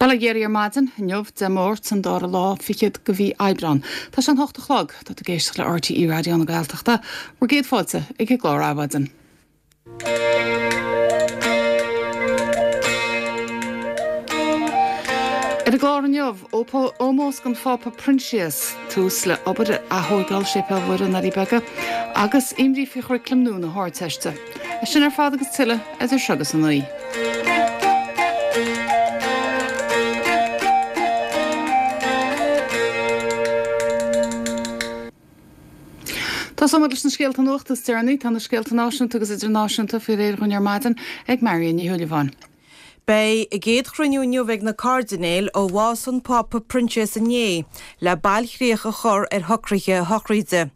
Bail ó Dhia oraibh ar maidin, inniu, Dé Máirt, an dara lá fichead de mhí Aibreán. Tá sé an hocht a chlog. Tá tú ag éisteacht le RTÉ Raidió na Gaeltachta. Bhur gcéad fáilte ag an gclár Adhmhaidin. Ar an gclár inniu, ómós don Phápa Proinsias, tús le obair ar ath-thóigeáil Séipéal Mhuire i nDoirí Beaga agus imní faoi churaclam nua na hArdteiste. É sin ar fad agus tuilleadh idir seo agus a naoi. Tosóimid leis na scéalta nuachta is deireanaí. Tá na scéalta náisiúnta agus idirnáisiúnta faoi réir dhúinn ar maidin ag Marion Ní Shúilleabháin. Beidh a gcéad chruinniú inniu ag na cairdinéil ó bhás an Phápa Proinsias inné le bailchríoch a chur ar shocruithe a shochraide.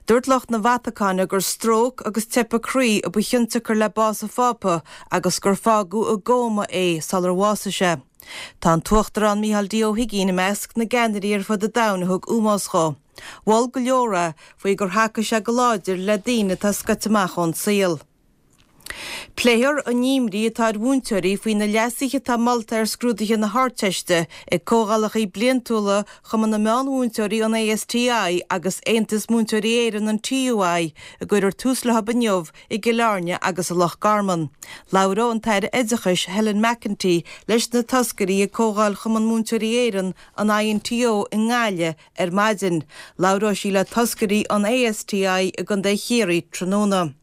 Dúirt lucht na Vatacáine gur stróc agus teipeadh croí a ba chionsiocair le bás an Phápa agus gur fágadh i gcóma é sular bhásaigh sé. Tá an tUachtarán Micheál D Ó hUigínn i measc na gceannairí ar fud an domhain a thug ómós dhó. Mhol go leor é faoi gur thacaigh sé go láidir le daoine atá scoite amach ón saol. Pléifear an imní atá ar mhúinteoirí faoi na leasuithe atá molta ar scrúduithe na hArdteiste ag comhdhálacha bliantúla Chumann na Meán-Mhúinteoirí, an ASTI, agus Aontas Múinteoirí Éireann, an TUI, a gcuirfear tús leo inniu i gCill Airne agus i Loch Garman. Labhróidh an tAire Oideachais, Helen McEntee, leis na toscairí ag Comhdháil Chumann Múinteoirí Éireann, an INTO, i nGaillimh ar maidin. Labhróidh sí le toscairí an ASTI i gContae Chiarraí tráthnóna.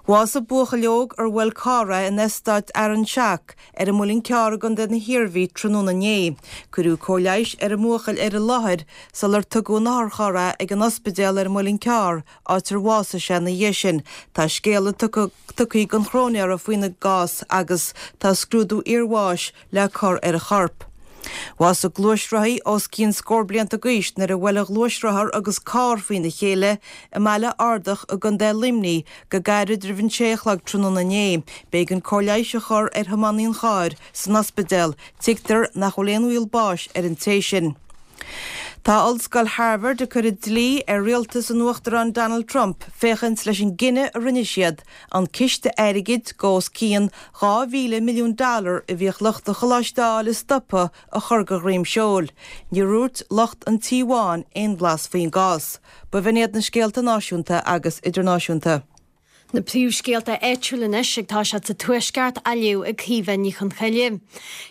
Bhásaigh buachaill óg ar bhuail carr é in eastát Fhearann Seach ar an Muileann Cearr i gContae na hIarmhí tráthnóna inné. Cuireadh cóir leighis ar an mbuachaill ar an láthair sular tugadh in otharcharr é ag an ospidéal ar an Muileann Cearr, áit ar bhásaigh sé ina dhiaidh sin. Tá scéala tugtha don chróinéara faoina gcás agus tá scrúdú iarbháis le cur ar an chorp. Bhásaigh gluaisrothaí os cionn scór blianta d'aois nuair a bhuail a ghluaisrothar agus carr faoina chéile i mBaile Ardach i gContae Luimnigh go gairid roimh an sé a chlog tráthnóna inné. B'éigean cóir leighis a chur ar thiománaí an chairr san ospidéal. Tuigtear nach bhfuil aon bhaol báis ar an té sin. Tá Ollscoil Harvard ag cur an dlí ar rialtas an Uachtaráin Donald Trump féachaint leis an gcinneadh a rinne siad an ciste airgid de os cionn 2,000 milliún dollar a bhíodh lucht an choláiste a fháil a stopadh a chur de dhroim seoil. Níor dhúirt lucht an Tí Bháin aon bhlas faoin gcás. B'in iad na scéalta náisiúnta agus idirnáisiúnta. Na príomhscéalta áitiúla anois ag toiseacht sa Tuaisceart á léamh ag Caoimhe Ní Chonchoille.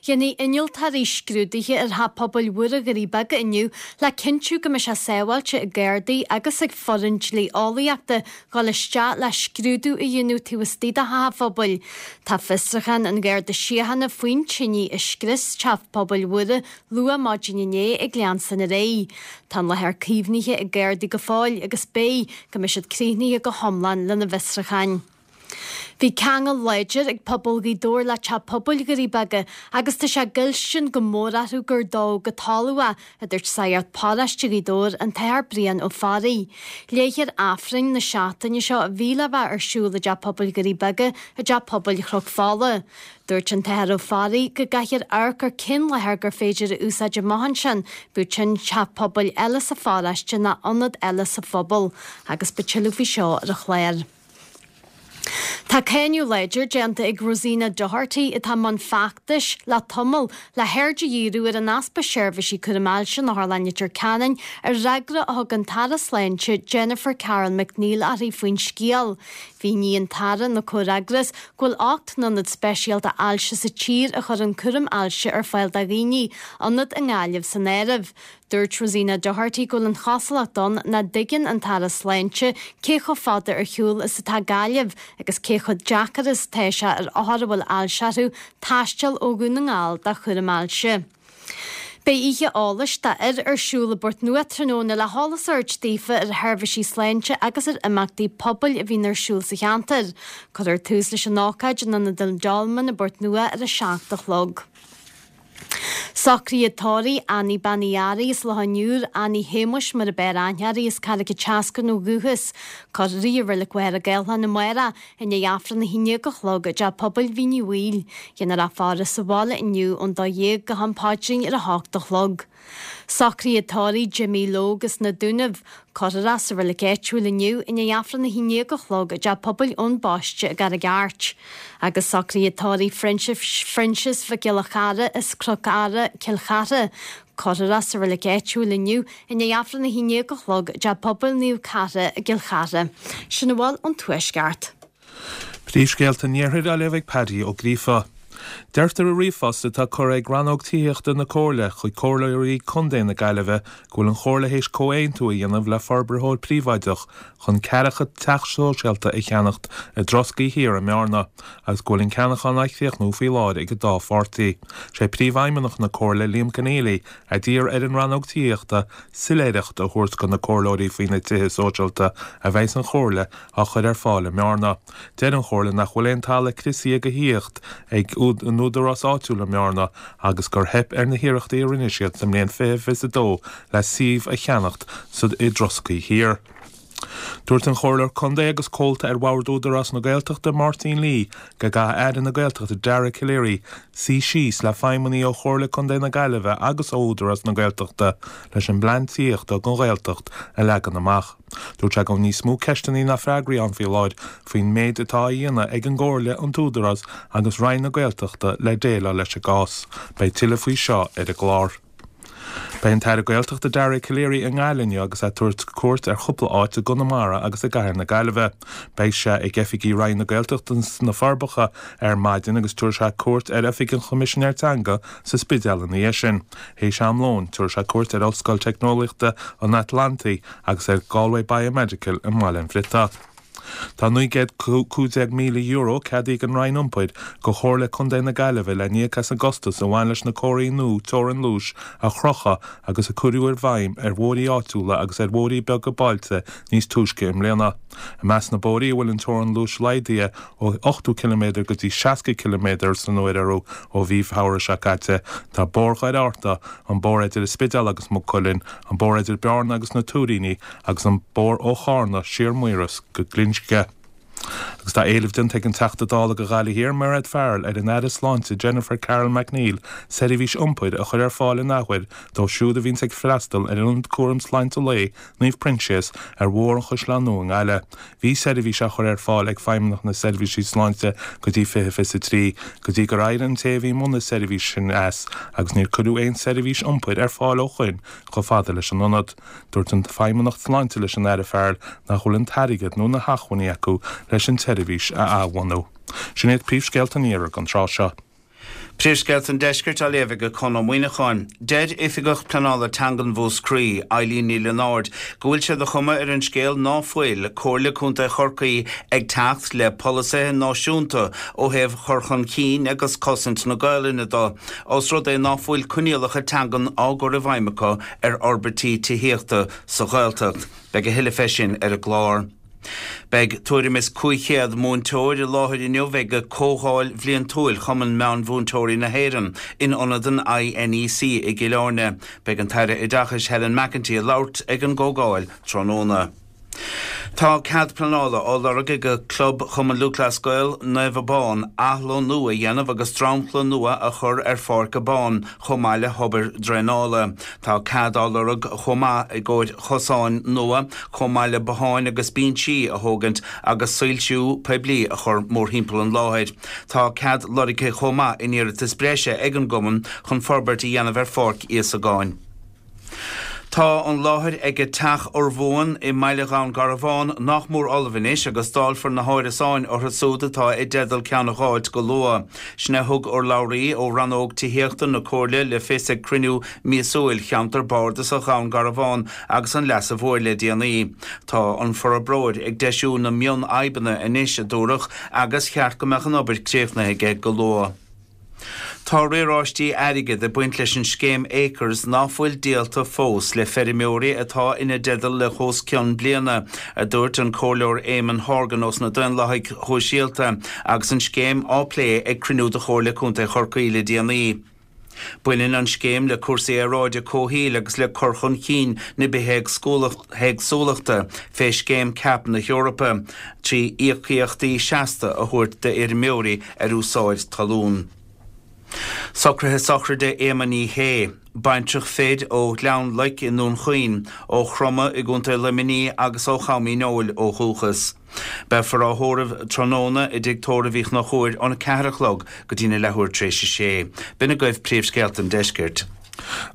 Déanfaidh innealtóirí scrúduithe ar Theach Pobail Mhuire Dhoirí Beaga inniu le cinntiú go mbeidh sé sábháilte ag Gardaí agus ag foireann dlí-eolaíochta dhul isteach le scrúdú a dhéanamh taobh istigh de theach an phobail. Tá fiosrúchán an Gharda Síochána faoin tine a scrios Teach Pobail Mhuire luath maidin inné ag leanstan ar aghaidh. Tá an láthair caomhnaithe ag Gardaí go fóill agus beidh go mbeidh siad críochnaithe go hiomlán lena bhfiosrúcháin. Bhí ceangal láidir ag pobal Ghaoth Dobhair le Teach Pobail Dhoirí Beaga agus tá sé i gcoilstin go mór orthu gur dódh go talamh é, a dúirt Sagart Paróiste Ghaoth Dobhair, an tAthair Brian Ó Fearraigh. Léifear Aifreann na seachtaine seo a bhí le bheith ar siúl i dTeach Pobail Dhoirí Beaga i dTeach Pobail Chnoc Fola. Dúirt an tAthair Ó Fearraigh go gcaithfear amharc ar cén láthair gur féidir a úsáid amach ansin, bíodh sin teach pobail eile sa pharóiste ná ionad eile sa phobal, agus beidh tuilleadh faoi seo ar an chlár. Tá cáineadh láidir déanta ag Rosina Doherty, atá i mbun feachtais le tamall le haird a dhíriú ar an easpa seirbhísí cúraim ailse in Otharlann Leitir Ceanainn, ar fhreagra a thug an tAire Sláinte Jennifer Carroll MacNeill uirthi faoin scéal. Mhínigh an tAire ina comhfhreagras go bhfuil 8 n-ionad speisialta ailse sa tír a chuireann cúram ailse ar fáil do dhaoine, ionad i nGaillimh san áireamh. Dúirt Rosina Doherty go bhfuil an chosúlacht ann nach dtuigeann an tAire Sláinte cé chomh fada ar shiúl is atá Gaillimh agus cé chomh deacair is atá sé ar othair a bhfuil ailse orthu taisteal ó Dhún na nGall do chúram ailse. Beidh oíche eolais d'fhir ar siúl i bPort Nua tráthnóna le heolas a thabhairt daofa ar sheirbhísí sláinte agus ar imeachtaí pobail a bhíonn ar siúl sa cheantar. Cuirfear tús leis an ócáid in Ionad an Dolmain i bPort Nua ar a 7 a chlog. Socruithe tórraimh Annie Bean Uí Fhearraigh as Loch an Iúir, Annie Shéamuis mar ab fhearr aithne uirthi as Carraig an tSeascainn ó dhúchas. Cuirfear í i Reilig Mhachaire Gathlán amárach i ndiaidh Aifreann 11 a chlog i dTeach Pobail Mhín Uí Bhaoill. Déanfar í faire sa bhaile inniu ón 12 go ham paidrín ar a hocht a chlog. Socruithe tórraimh Jimmy Logue as na Dúnaibh. Cuirfear é sa reilig áitiúil inniu i ndiaidh Aifreann 11 a chlog i dTeach Pobail Eoin Baiste i gCarraig Airt. Agus socruithe tórraimh Phroinsias Mhic Giolla Chara as Cnoc Ara, Cill Chartha. Cuirfear é sa reilig áitiúil inniu i ndiaidh Aifreann 11 a chlog i dTeach Pobail Naomh Cartha i gCill Chartha. Sin a bhfuil ón Tuaisceart. Príomhscéalta an Iarthair á léamh ag Paddy Ó Gríofa. Deirtear i ríomhphost atá curtha ag Rannóg Tithíochta na Comhairle chuig Comhairleoirí Contae na Gaillimhe go bhfuil an Chomhairle théis comhaontú a dhéanamh le forbraitheoir príobháideach chun ceathracha teach sóisialta a cheannacht i dTroscaí Thiar i mBearna agus go bhfuil an ceannachán á chríochnú faoi láthair ag an dá pháirtí. Sé Príomhfheidhmeannach na Comhairle, Liam Conneally, a d'iarr ar an Rannóg Tithíochta soiléireacht a thabhairt do na Comhairleoirí faoi na tithe sóisialta a bheidhs an Chomhairle á chur ar fáil i mBearna. Deir an Chomhairle nach bhfuil aon talamh criosaithe do thithíocht ag an údarás áitiúil i mBearna agus gur theip ar na hiarrachtaí a rinne siad sa mbliain 2022 le suíomh a cheannacht sa i dTroscaí Thiar. Dúirt an Comhairleoir Contae agus Comhalta ar Bhord Údarás na Gaeltachta Máirtín Lee go gcaithfidh Aire na Gaeltachta Dara Calleary suí síos le feidhmeannaigh ó Chomhairle Contae na Gaillimhe agus ó Údarás na Gaeltachta leis an bplean tithíochta don Ghaeltacht a leagan amach. Dúirt sé go bhfuil níos mó ceisteanna ná freagraí ann faoi láthair faoin méid atá á dhéanamh ag an gComhairle, an tÚdarás agus Roinn na Gaeltachta le déileáil leis an gcás. Beidh tuilleadh faoi seo ar an gclár. Beidh an tAire Gaeltachta Dara Calleary i nGaillimh inniu agus é ag tabhairt cuairt ar chúpla áit i gConamara agus i gcathair na Gaillimhe. Beidh sé ag oifigí Roinn na Gaeltachta sna Forbacha ar maidin agus tabharfaidh sé cuairt ar Oifig an Choimisinéir Teanga sa Spidéal ina dhiaidh sin. Théis am lóin, tabharfaidh sé cuairt ar Ollscoil Teicneolaíochta an Atlantaigh agus ar Galway Biomedical i mBaile an Bhriotaigh. Tá €915,000 ceadaithe ag an Roinn Iompair go Chomhairle Contae na Gaillimhe le n-íoc as an gcostas a bhain leis na comharthaí nua teorann luais a chrochadh agus a cuireadh i bhfeidhm ar bhóithrí áitiúla agus ar bhóithrí beaga bailte níos túisce i mbliana. I measc na bóithrí a bhfuil an teorann luais laghdaithe ó 80 ciliméadar go dtí 60 ciliméadar san uair orthu ó mhí Feabhra seo caite, tá Bóthar Dhoire Fhatharta, an bóthar idir an Spidéal agus Maigh Cuilinn, an bóthar idir Bearna agus na Tuairíní agus an bóthar ó Chárna siar Maoras go Glinsce. Agus tá éileamh déanta ag an Teachta Dála do Ghaillimh Thiar, Mairéad Farrell, ar an Aire Sláinte Jennifer Carroll MacNeill seirbhís iompair a chur ar fáil an athuair dóibh siúd a bhíonns ag freastal ar Ionad Cúram Sláinte Lae Naomh Proinsias ar Bhóthar an Chaisleáin Nua i nGaillimh. Bhí seirbhís á chur ar fáil ag Feidhmeannacht na Seirbhísí Sláinte go dtí 2023, go dtí gur éirigh an té a bhí i mbun na seirbhíse sin as agus níor cuireadh aon seirbhís iompair ar fáil ó shoin chomh fada leis an ionad. Dúirt an Feidhmeannacht Sláinte leis an Aire Farrell nach bhfuil an t-airgead nó na hacmhainní acu leis an tseirbhís a athbhunú. Sin iad príomhscéalta an iarthair don tráth seo. Príomhscéalta an Deiscirt á léamh ag Conn Ó Muíneacháin. Deir Oifigeach Pleanála Teangan Mhúscraí, Eilín Ní Lionáird, go bhfuil sé de chuma ar an scéal ná fuil Comhairle Contae Chorcaí ag teacht le polasaithe náisiúnta ó thaobh chur chun cinn agus cosaint na Gaolainne do, os rud é ná fuil coinníollacha teangan á gcur i bhfeidhm acu ar fhorbairtí tithíochta sa Ghaeltacht. Beidh a thuilleadh fé sin ar an gclár. Beidh tuairim is 500 múinteoir i láthair inniu ag Comhdháil Bhliantúil Chumann Meán-Mhúinteoirí na hÉireann in ionad an INEC i gCill Airne. Beidh an tAire Oideachais Helen McEntee ag labhairt ag an gcomhdháil tráthnóna. Tá cead pleanála á lorg ag Club Chumann Lúthchleas Gael Naomh Abán athlonnú a dhéanamh agus dromchla nua a chur ar Pháirc Abán chomh maith le hobair draenála. Tá cead á lorg chomh maith i gcomhair chosáin nua chomh maith le botháin agus binsí a thógaint agus soilsiú poiblí a chur mórthimpeall an láthair. Tá cead lorgtha chomh maith in iarratas breise ag an gcumann chun forbairt a dhéanamh ar Pháirc Íosagáin. Tá an láthair ag Teach Urmhumhan i mbaile Dhún Garbhán nach mór ullamh anois agus dáilfear na hárasáin orthu súd atá i dteideal ceann a dh'fháilt go luath. Sin é a thug urlabhraí ó Rannóg Tithíochta na Comhairle le fios ag cruinniú míosúil Cheantar Bardasach Dhún Garbhán agus an Leasa Mhóir le déanaí. Tá an forbróir ag deisiú na mionfhadhbanna anois, a dúradh, agus cheart go mbeadh an obair críochnaithe aige go luath. Tá riaráistí airgid ag baint leis an scéim Acres ná fuil díolta fós le feirmeoirí atá ina dteideal le hos cionn bliana, a dúirt an Comhairleoir Eamon Horgan ós na Daonlathaigh Shóisialta agus an scéim á plé ag cruinniú de Chomhairle Contae Chorcaí le déanaí. Baineann an scéim le cúrsaí aeráide, comhshaoil agus le cur chun cinn na bithéagsúlachta fé scéim CAP na hEorpa, trí íocaíochtaí seasta a thabhairt d'fheirmeoirí ar úsáid talún. Socruithe sochraide Éama Ní Shé, baintreach fir ó Ghleann Loic i nDún Chaoin, ó Chromtha i gContae Luimnigh agus ó Cham Uí Neoill ó dhúchas. Beifear á thórramh tráthnóna i dTigh Tórraimh Uí Chonchúir óna 4 a chlog go dtína leathuair tar éis a sé. B'in agaibh príomhscéalta an deiscirt.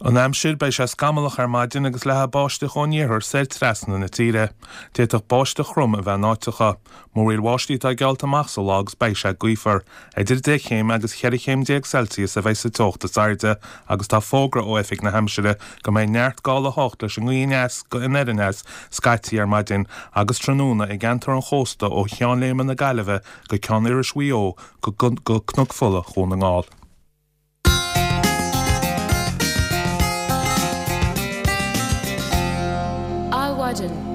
An aimsir, Beidh sé scamallach ar maidin agus leathfaidh báisteach ón iarthar soir trasna na tíre. D'fhéadfadh báisteach throm a bheith in áiteacha. Múraíl bháistí atá geallta amach sa lá agus beidh sé gaofar. Idir 10 chéim agus 14 chéim Celsius a bheidh sa teocht is airde agus tá fógra ó Oifig na hAimsire go mbeidh neart gála 8 leis an ngaoth aneas go anoir aneas scaití ar maidin agus tráthnóna i gceantar an chósta ó Cheann Léime na Gaillimhe go Ceann Iorrais Mhaigh Eo go Cnoc Fola Dhún na nGall. Adhmhaidin.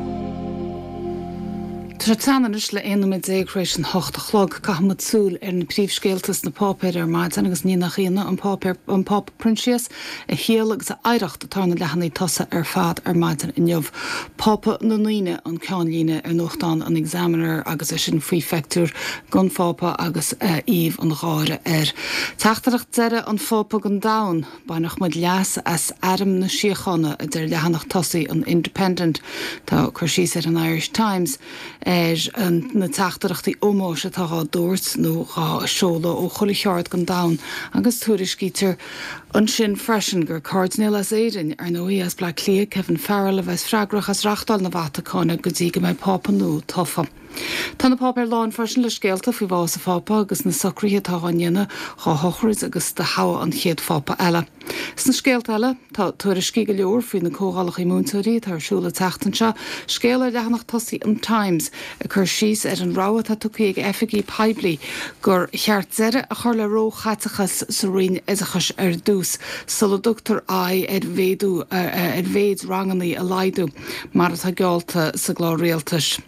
Tá sé teann anois le 11 nóiméad tar éis an hocht a chlog. Caithfidh muid súil ar na príomhscéalta sna páipéir ar maidin agus ní nach ionadh an páipéar, an Pápa Proinsias, a shaol agus a oidhreacht atá ar na leathanaigh tosaigh ar fad ar maidin inniu. Pápa na ndaoine an ceannlíne ar nuachtán an Examiner agus é sin faoi phictiúr den Phápa agus aoibh an gháire air. Teachtaireacht deiridh an Phápa don domhan, Bainfidh muid leas as Airm na Síochána, a deir leathanach tosaigh an Independent. Tá cur síos ar an Irish Times ar na teachtaireachtaí ómóis atá dhá dtabhairt nó dhá seoladh ó chuile cheard den domhan agus tuairiscítear ansin freisin gur cairdinéal as Éirinn, ar ndóigh, as Bleá Cliath, Kevin Farrell, a bheas freagrach as reachtáil na Vatacáine go dtí go mbeidh Pápa nua tofa. Tá na páipéir lán freisin le scéalta faoi bhás an Phápa agus na socruithe atá á ndéanamh dhá shochraid agus do thoghadh an chéad Phápa eile. Sna scéalta eile, tá tuairiscí go leor faoi na comhdhálacha múinteoirí atá ar siúl an tseachtain seo, scéal ar leathanach tosaigh an Times ag cur síos ar an rabhadh atá tugtha ag oifigigh poiblí gur cheart deireadh a chur le róchaiteachas sa Roinn Oideachais ar dtús sula dtugtar aghaidh ar mhéadú ar mhéid ranganna a laghdú mar atá geallta sa gclár rialtais.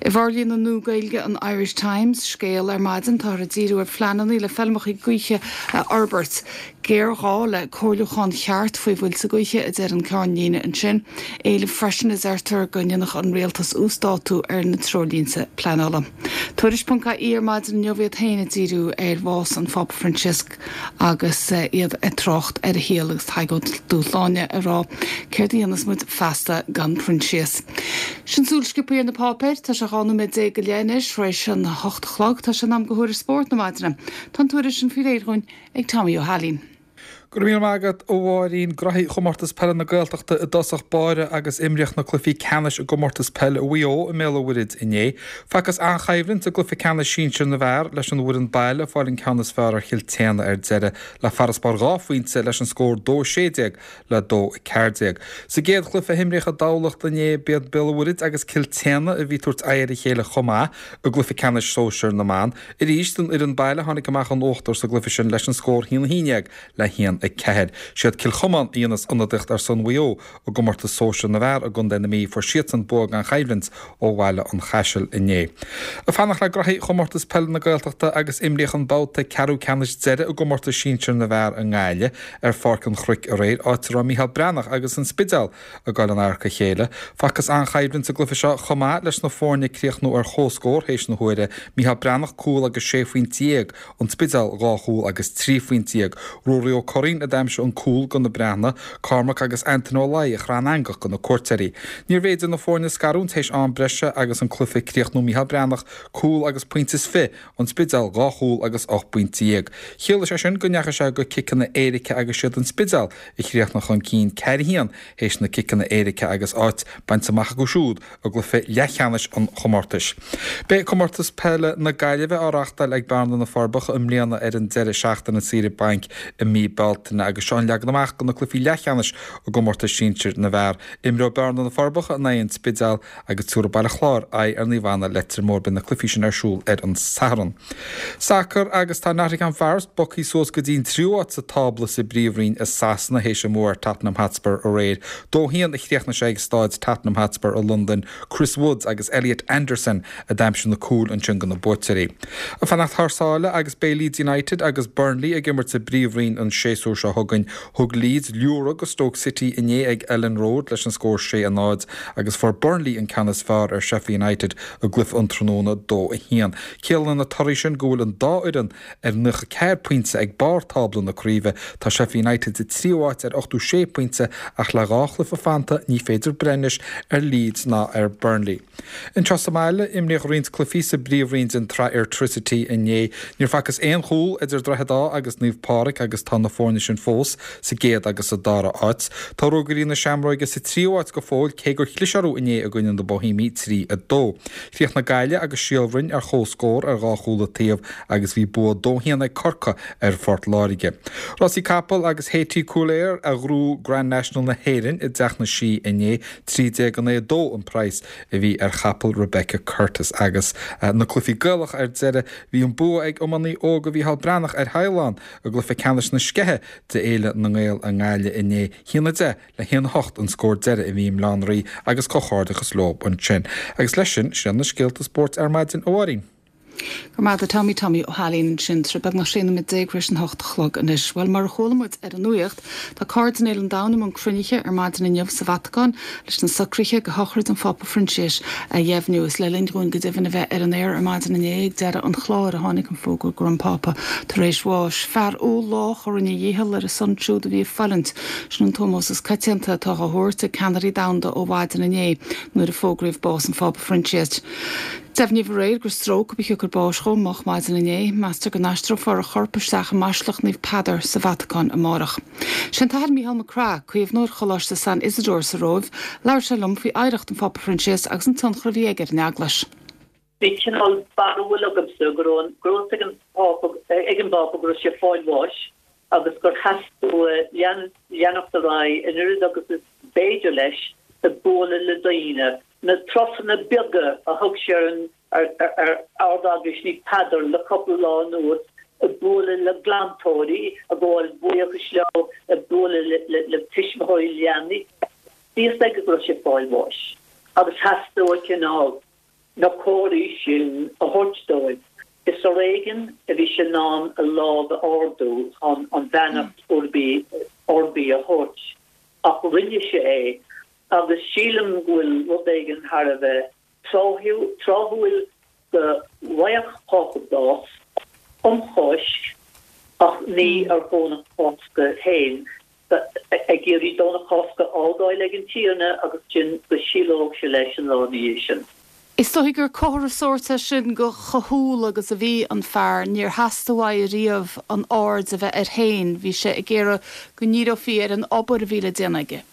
I bhforlíonadh nua Gaeilge an Irish Times, scéal ar maidin, táthar ag díriú ar phleananna le feilmeacha gaoithe a fhorbairt. Géarghá le comhairliúchán cheart faoi mhuilte gaoithe, a deir an ceannlíne ansin. Éileamh freisin, a deirtear, go ndéanfadh an rialtas uasdátú ar na treoirlínte pleanála. Tuairisc.ie ar maidin inniu iad féin ag díriú ar bhás an Phápa Proinsias. agus iad ag trácht ar a shaol agus Tadhg Ó Dúshláine ag rá céard a dhéanfas muid feasta gan Proinsias. Sin súil sciobtha ar na páipéir. Tá sé 12 nóiméad go leith anois tar éis an hocht a chlog. Tá sé in am do thuairisc spóirt na maidine. Tá an tuairisc sin faoi réir dhúinn ag Tommy Ó hAilín. Go raibh míle maith agat, a Mháirín. Graithí Chomórtas Peile na Gaeltachta i dtosach báire agus imríodh na cluichí ceannais i gcomórtas peile Mhaigh Eo i mBéal an Mhuirthead inné. Facthas an-choimhlint i gcluiche ceannais sinsir na bhfear, leis an bhfoireann baile ag fáil an ceann is fearr ar Chill tSéadhna ar deireadh le farasbarr dhá phointe leis an scór 2-16 le 2-14. Sa gcéad chluiche a himríodh i dTamhlacht inné b'iad Béal an Mhuirthead agus Cill tSéadhna a bhí ag tabhairt aghaidh ar a chéile chomh maith i gcluiche ceannais sóisir na mban. Arís an fhoireann baile a tháinig amach in uachtar sa gcluiche sin leis an scór 1-11 le 1-4. Siad Cill Chomáin a dhéanas ionadaíocht ar son Mhaigh Eo I gcomórtas sóisir na bhfear i gContae na Mí fuair siadsan bua gan choimhlint ó Bhaile an Chaisil inné. Ag fanacht le graithí Chomórtas Peile na Gaeltachta agus imríodh an babhta ceathrú ceannais deiridh i gcomórtas sinsir na bhfear i nGaillimh ar Pháirc an Chnoic aréir, áit a raibh Micheál Breathnach agus an Spidéal ag dul in adharca a chéile. Facthas an-choimhlint sa gcluiche seo chomh maith leis na foirne ag críochnú ar chomhscór théis na huaire, Micheál Breathnach cúl agus 16 phointe, An Spidéal, 2 chúl agus 13 phointe. Ruairí Ó Curraoin a d'aimsigh an cúl do na Breathnaigh, Cormac agus Antaine Ó Laoi a chraith an eangach do na cuairteoirí. Níorbh fhéidir na foirne scarúint théis am breise agus an cluiche ag críochnú Micheál Breathnach, cúl agus pointe is fi, An Spidéal, 2 chúl agus 18 bpointe. Chiallaigh sé sin go ndeachaigh sé go ciceanna éirice agus siad An Spidéal a chríochnaigh chun cinn 4 1 théis na ciceanna éirice agus áit bainte amach acu siúd i gcluiche leathcheannais an chomórtais. Beidh Comórtas Peile na Gaillimhe á reáchtáil ag Bearna na Forbacha i mbliana ar an deireadh seachtaine saoire bainc i mí Bealtaine agus seo an leagan amach do na cluichí leathcheannais i gcomórtas sinsir na bhfear. Imreoidh Bearna na Forbacha in aghaidh an Spidéil agus tabharfaidh Baile Chláir aghaidh ar Naomh Anna Leitir Móir. Beidh na cluichí sin ar siúl ar an Satharn. Sacar agus tá Nottingham Forest bogtha suas go dtí an tríú háit sa tábla sa bPríomhroinn i Sasana théis a mbua ar Tottenham Hotspur aréir. 2-1 a chríochnaigh sé ag staid Tottenham Hotspur i Londain. Chris Woods agus Elliot Anderson a d'aimsigh na cúil ansin do na buaiteoirí. Ag fanacht thar sáile agus beidh Leeds United agus Burnley ag imirt sa bPríomhroinn an séasúr. séasúr seo chugainn. Thug Leeds liúradh go Stoke City inné ag Elland Road leis an scór 6, 0 agus fuair Burnley an ceann is fearr ar Sheffield United i gcluiche an tráthnóna, 2, 1. Ciallaíonn na torthaí sin go bhfuil an dá fhoireann ar 94 pointe ag barr tábla na craoibhe. Tá Sheffield United sa tríú háit ar 86 pointe ach le dhá chluiche fanta ní féidir breith anois ar Leeds ná ar Burnley. Anseo sa mbaile, imríodh roinnt cluichí sa bpríomhroinn den tsraith Airtricity inné. Níor facthas aon chúl idir Droichead Átha agus Naomh Pádraig agus tá na foirne sin fós sa gcéad agus sa dara háit. Tá Ruagairí na Seamróige sa tríú háit go fóill cé gur chlis orthu inné i gcoinne na Boihéimigh 3, 2. Chríochnaigh Gaillimh agus Síol Bhroin ar comhscór ar dhá chúl an taobh agus bhí bua 2, 1 ag Corcaigh ar Phort Láirge. Rásaí capall agus Haiti Couleur a ghnóthaigh Grand National na hÉireann i dTeach na Sí inné. 13 9 2 an praghas a bhí ar chapall Rebecca Curtis. Agus na cluichí Gaelacha ar deireadh, bhí an bua ag iománaí óga Mhícheál Breathnach ar Theaghlán i gcluiche ceannais na Sceiche de Fhéile na nGael i nGaillimh inné. 1, 10 le 1, 8 an scór deiridh a bhí i mBaile Átha an Rí agus comhghairdeachas leo ansin. Agus leis sin, sin iad na scéalta spóirt ar maidin, a Mháirín. Go raibh maith agat a Tommy, Tommy Ó hAilín ansin. Tá sé beagnach 16 nóiméad tar éis an hocht a chlog anois. Bhuel, mar a chuala muid ar an nuacht, tá Cairdinéil an domhain i mbun cruinnithe ar maidin inniu sa Vatacáin leis na socruithe do shochraid an Phápa Phroinsiais a dheimhniú. Is le linn dhúinn go deimhin a bheith ar an aer ar maidin inné ag deireadh an chláir a tháinig an fógra go raibh an Pápa tar éis bháis. Fear umhal lách a rinne a dhícheall ar a son siúd a bhí ag fulaingt. Sin an t-ómós is coitianta atá á thabhairt ag ceannairí domhanda ó mhaidin inné nuair a fógraíodh bás an Phápa Phroinsiais. Deimhníodh aréir gur stróc a ba shiocair báis dhó moch maidin inné. Meastar go n-aistreofar a chorp isteach i mBaisleac Naomh Peadar sa Vatacáin amárach. Sé an tAthair Mícheál Mac Craith, caomhnóir Choláiste San Isidore sa Róimh, labhair sé liom faoi oidhreacht an Phápa Phroinsias agus an tionchar a bhí aige ar an Eaglais. Bhí cineál barúil agamsa go raibh go raibh ag an Pápa ag an bPápa go raibh sé ag fáil bháis agus gur theastaigh uaidh leanacht ar aghaidh an oiread agus is b'fhéidir leis ag bualadh le daoine Na turasanna beaga a thug sé ar an ar Ard-Eaglais Naomh Peadar le cúpla lá anuas, ag bualadh le glantóirí, ag gabháil buíochais leo, ag bualadh le tuismitheoirí leanaí. Bhí fhios aige go raibh sé ag fáil bháis agus theastaigh uaidh cineál na comharthaí sin a thabhairt dóibh. Is ar éigean a bhí sé in ann a lámh a ardú chun an bheannacht Urbi Orbi a thabhairt ach rinne sé é Agus sílim go bhfuil rud éigin thar a bheith tráthúil go bhfaigheadh Pápa bás um Cháisc ach ní ar Dhomhnach Cásca féin, ag iarraidh Domhnach Cásca a fhágáil ag an Tiarna agus ansin go síolódh sé leis an lá ina dhiaidh sin. Is dóigh gur comhartha sóirt é sin de chomh humhal agus a bhí an fear. Níor theastaigh uaidh riamh an aird a bheith air féin, bhí sé ag iarraidh go ndíreofaí ar an obair a bhí le déanamh aige.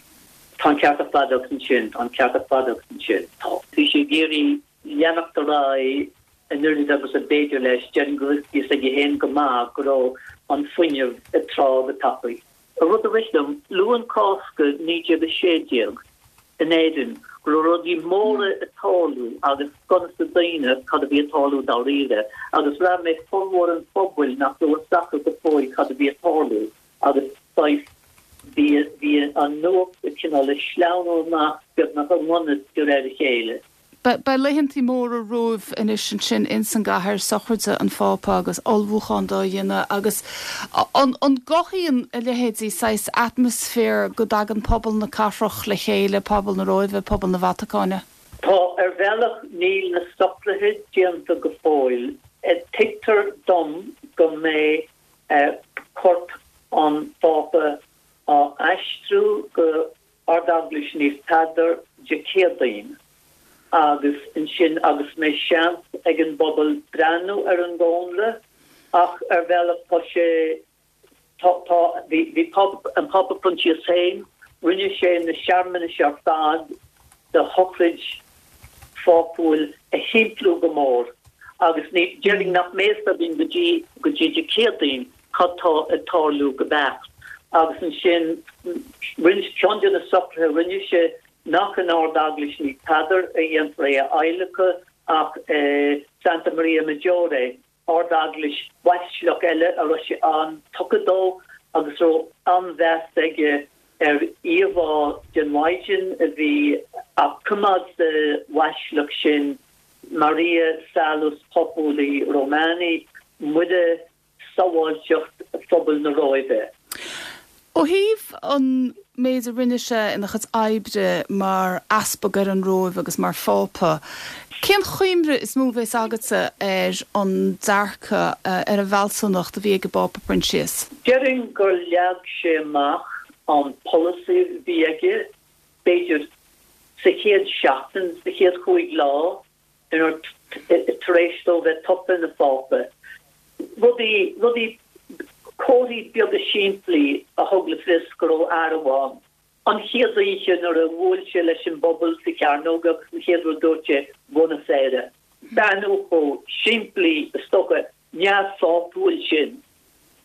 Tá an ceart ar fad agat ansin, tá an ceart ar fad agat ansin. Tá. Bhí sé ag iarraidh leanacht ar aghaidh an oiread agus a b'fhéidir leis, déarfainn go raibh fhios aige féin go maith go raibh an fuinneamh ag trá go tapaidh. Rud a rith liom, Luan Cásca 1916 in Éirinn, go raibh rudaí móra ag tarlú agus gan fhios ag daoine cad a bhí ag tarlú dáiríre, agus bhraith mé formhór an phobail nach raibh fhios acu go fóill cad a bhí ag tarlú. Agus saghas, bhí, bhí an nuacht ag cineál ag sleamhnú amach beagnach i ngan fhios de réir a chéile. Beidh laethantaí móra romhaibh anois ansin ins an gcathair, sochraid an Phápa agus ullmhúchán dá dhéanamh agus an, an gcothaíonn a leithéidí saghas atmaisféar go dtagann pobal na cathrach le chéile, pobal na Róimhe, pobal na Vatacáine? Tá, ar bhealach níl na socruithe déanta go fóill. Tuigtear dom go mbeidh corp an Phápa á aistriú go Ard-Eaglais Naomh Peadar Dé Céadaoin agus ansin agus mbeidh seans ag an bpobal breathnú ar an gcónra ach ar bhealach tá sé tá tá bhí bhí Pápa an Pápa Proinsias féin rinne sé na searmanais ar fad de shochraid phápúil a shimpliú go mór agus ní, déarfainn nach mbeidh fhios againn go dtí, go dtí Dé Céadaoin cad tá ag tarlú go beacht. Agus ansin, rinne, ceann de na socruithe a rinne sé nach in Ard-Eaglais Naomh Peadar a dhéanfar é a adhlacadh ach i Santa Maria Maggiore, Ard-Eaglais bhaisleac eile a raibh sé an-tugtha dó agus a raibh an-mheas aige ar íomhá den Mhaighdean a bhí á coimeád sa bhaisleac sin, Maria Salus Populi Romani, Muire Sábháilteacht Phobal na Róimhe. Ó thaobh an méid a rinne sé ina chuid oibre mar easpag ar an Róimh agus mar Phápa, cén chuimhne is mó a bhéas agatsa ar an dearcadh, ar an bhfealsúnacht a bhí ag an bPápa Proinsias? Déarfainn gur leag sé amach an polasaí a bhí aige, b'fhéidir, sa chéad seachtain, sa chéad chúig lá inar tar éis dó bheith tofa ina Phápa. Rudaí, rudaí, comharthaí beaga simplí a thug le fios go raibh athrú ann. An chéad oíche nuair a bhuail sé leis an bpobal sa chearnóg agus an chéad rud a dúirt sé, Buonasera. Beannú chomh simplí, is dócha, neamhphápúil sin.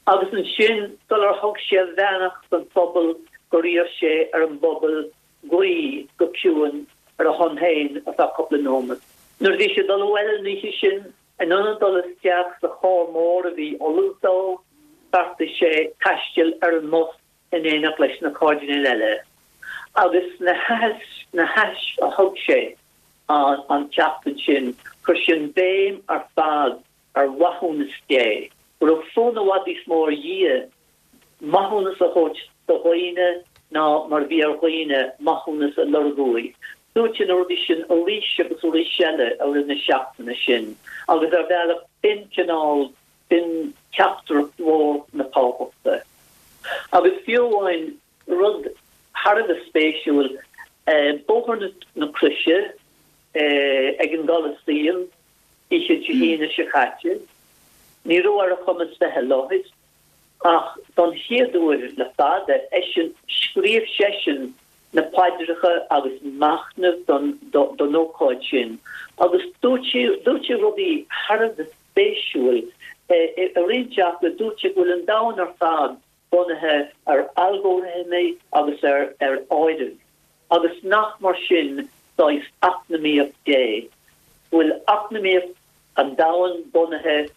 Agus ansin, sular thug sé a bheannacht don phobal gur iarr sé ar an bpobal guí go ciúin ar a shon féin ar feadh cúpla nóiméad. Nuair a bhí sé ag dul abhaile an oíche sin, in ionad dul isteach sa charr mór a bhí ullamh dó, bheartaigh sé taisteal ar an mbus in éineacht leis na cairdinéil eile. Agus na haithisc a thug sé an tseachtain sin, chuir sé an bhéim ar fad ar mhaithiúnas Dé, go raibh fonn i bhfad níos mó ar Dhia maithiúnas a thabhairt do dhaoine ná mar a bhí ar dhaoine maithiúnas a lorg uaidh. Dúirt sé na rudaí sin arís agus arís eile i rith na seachtaine sin agus ar bhealach b'in cineál, b'in teachtaireacht mhór na pápachta. Agus fiú amháin rud thar a bheith spéisiúil, Bóthar na Croise ag an gColasaem, Oíche Dé hAoine seo caite, ní raibh ar a chumas bheith i láthair, ach don chéad uair le fada, eisean, scríobh seisean na paidreacha agus machnamh don ócáid sin agus dúirt sé, dúirt sé rudaí thar a bheith spéisiúil. I roinnt acu, dúirt sé go bhfuil an domhan ar fad bunaithe ar algóirithimí agus ar áireamh, agus nach mar sin saghas eacnamaíocht Dé, go bhfuil eacnamaíocht an domhain bunaithe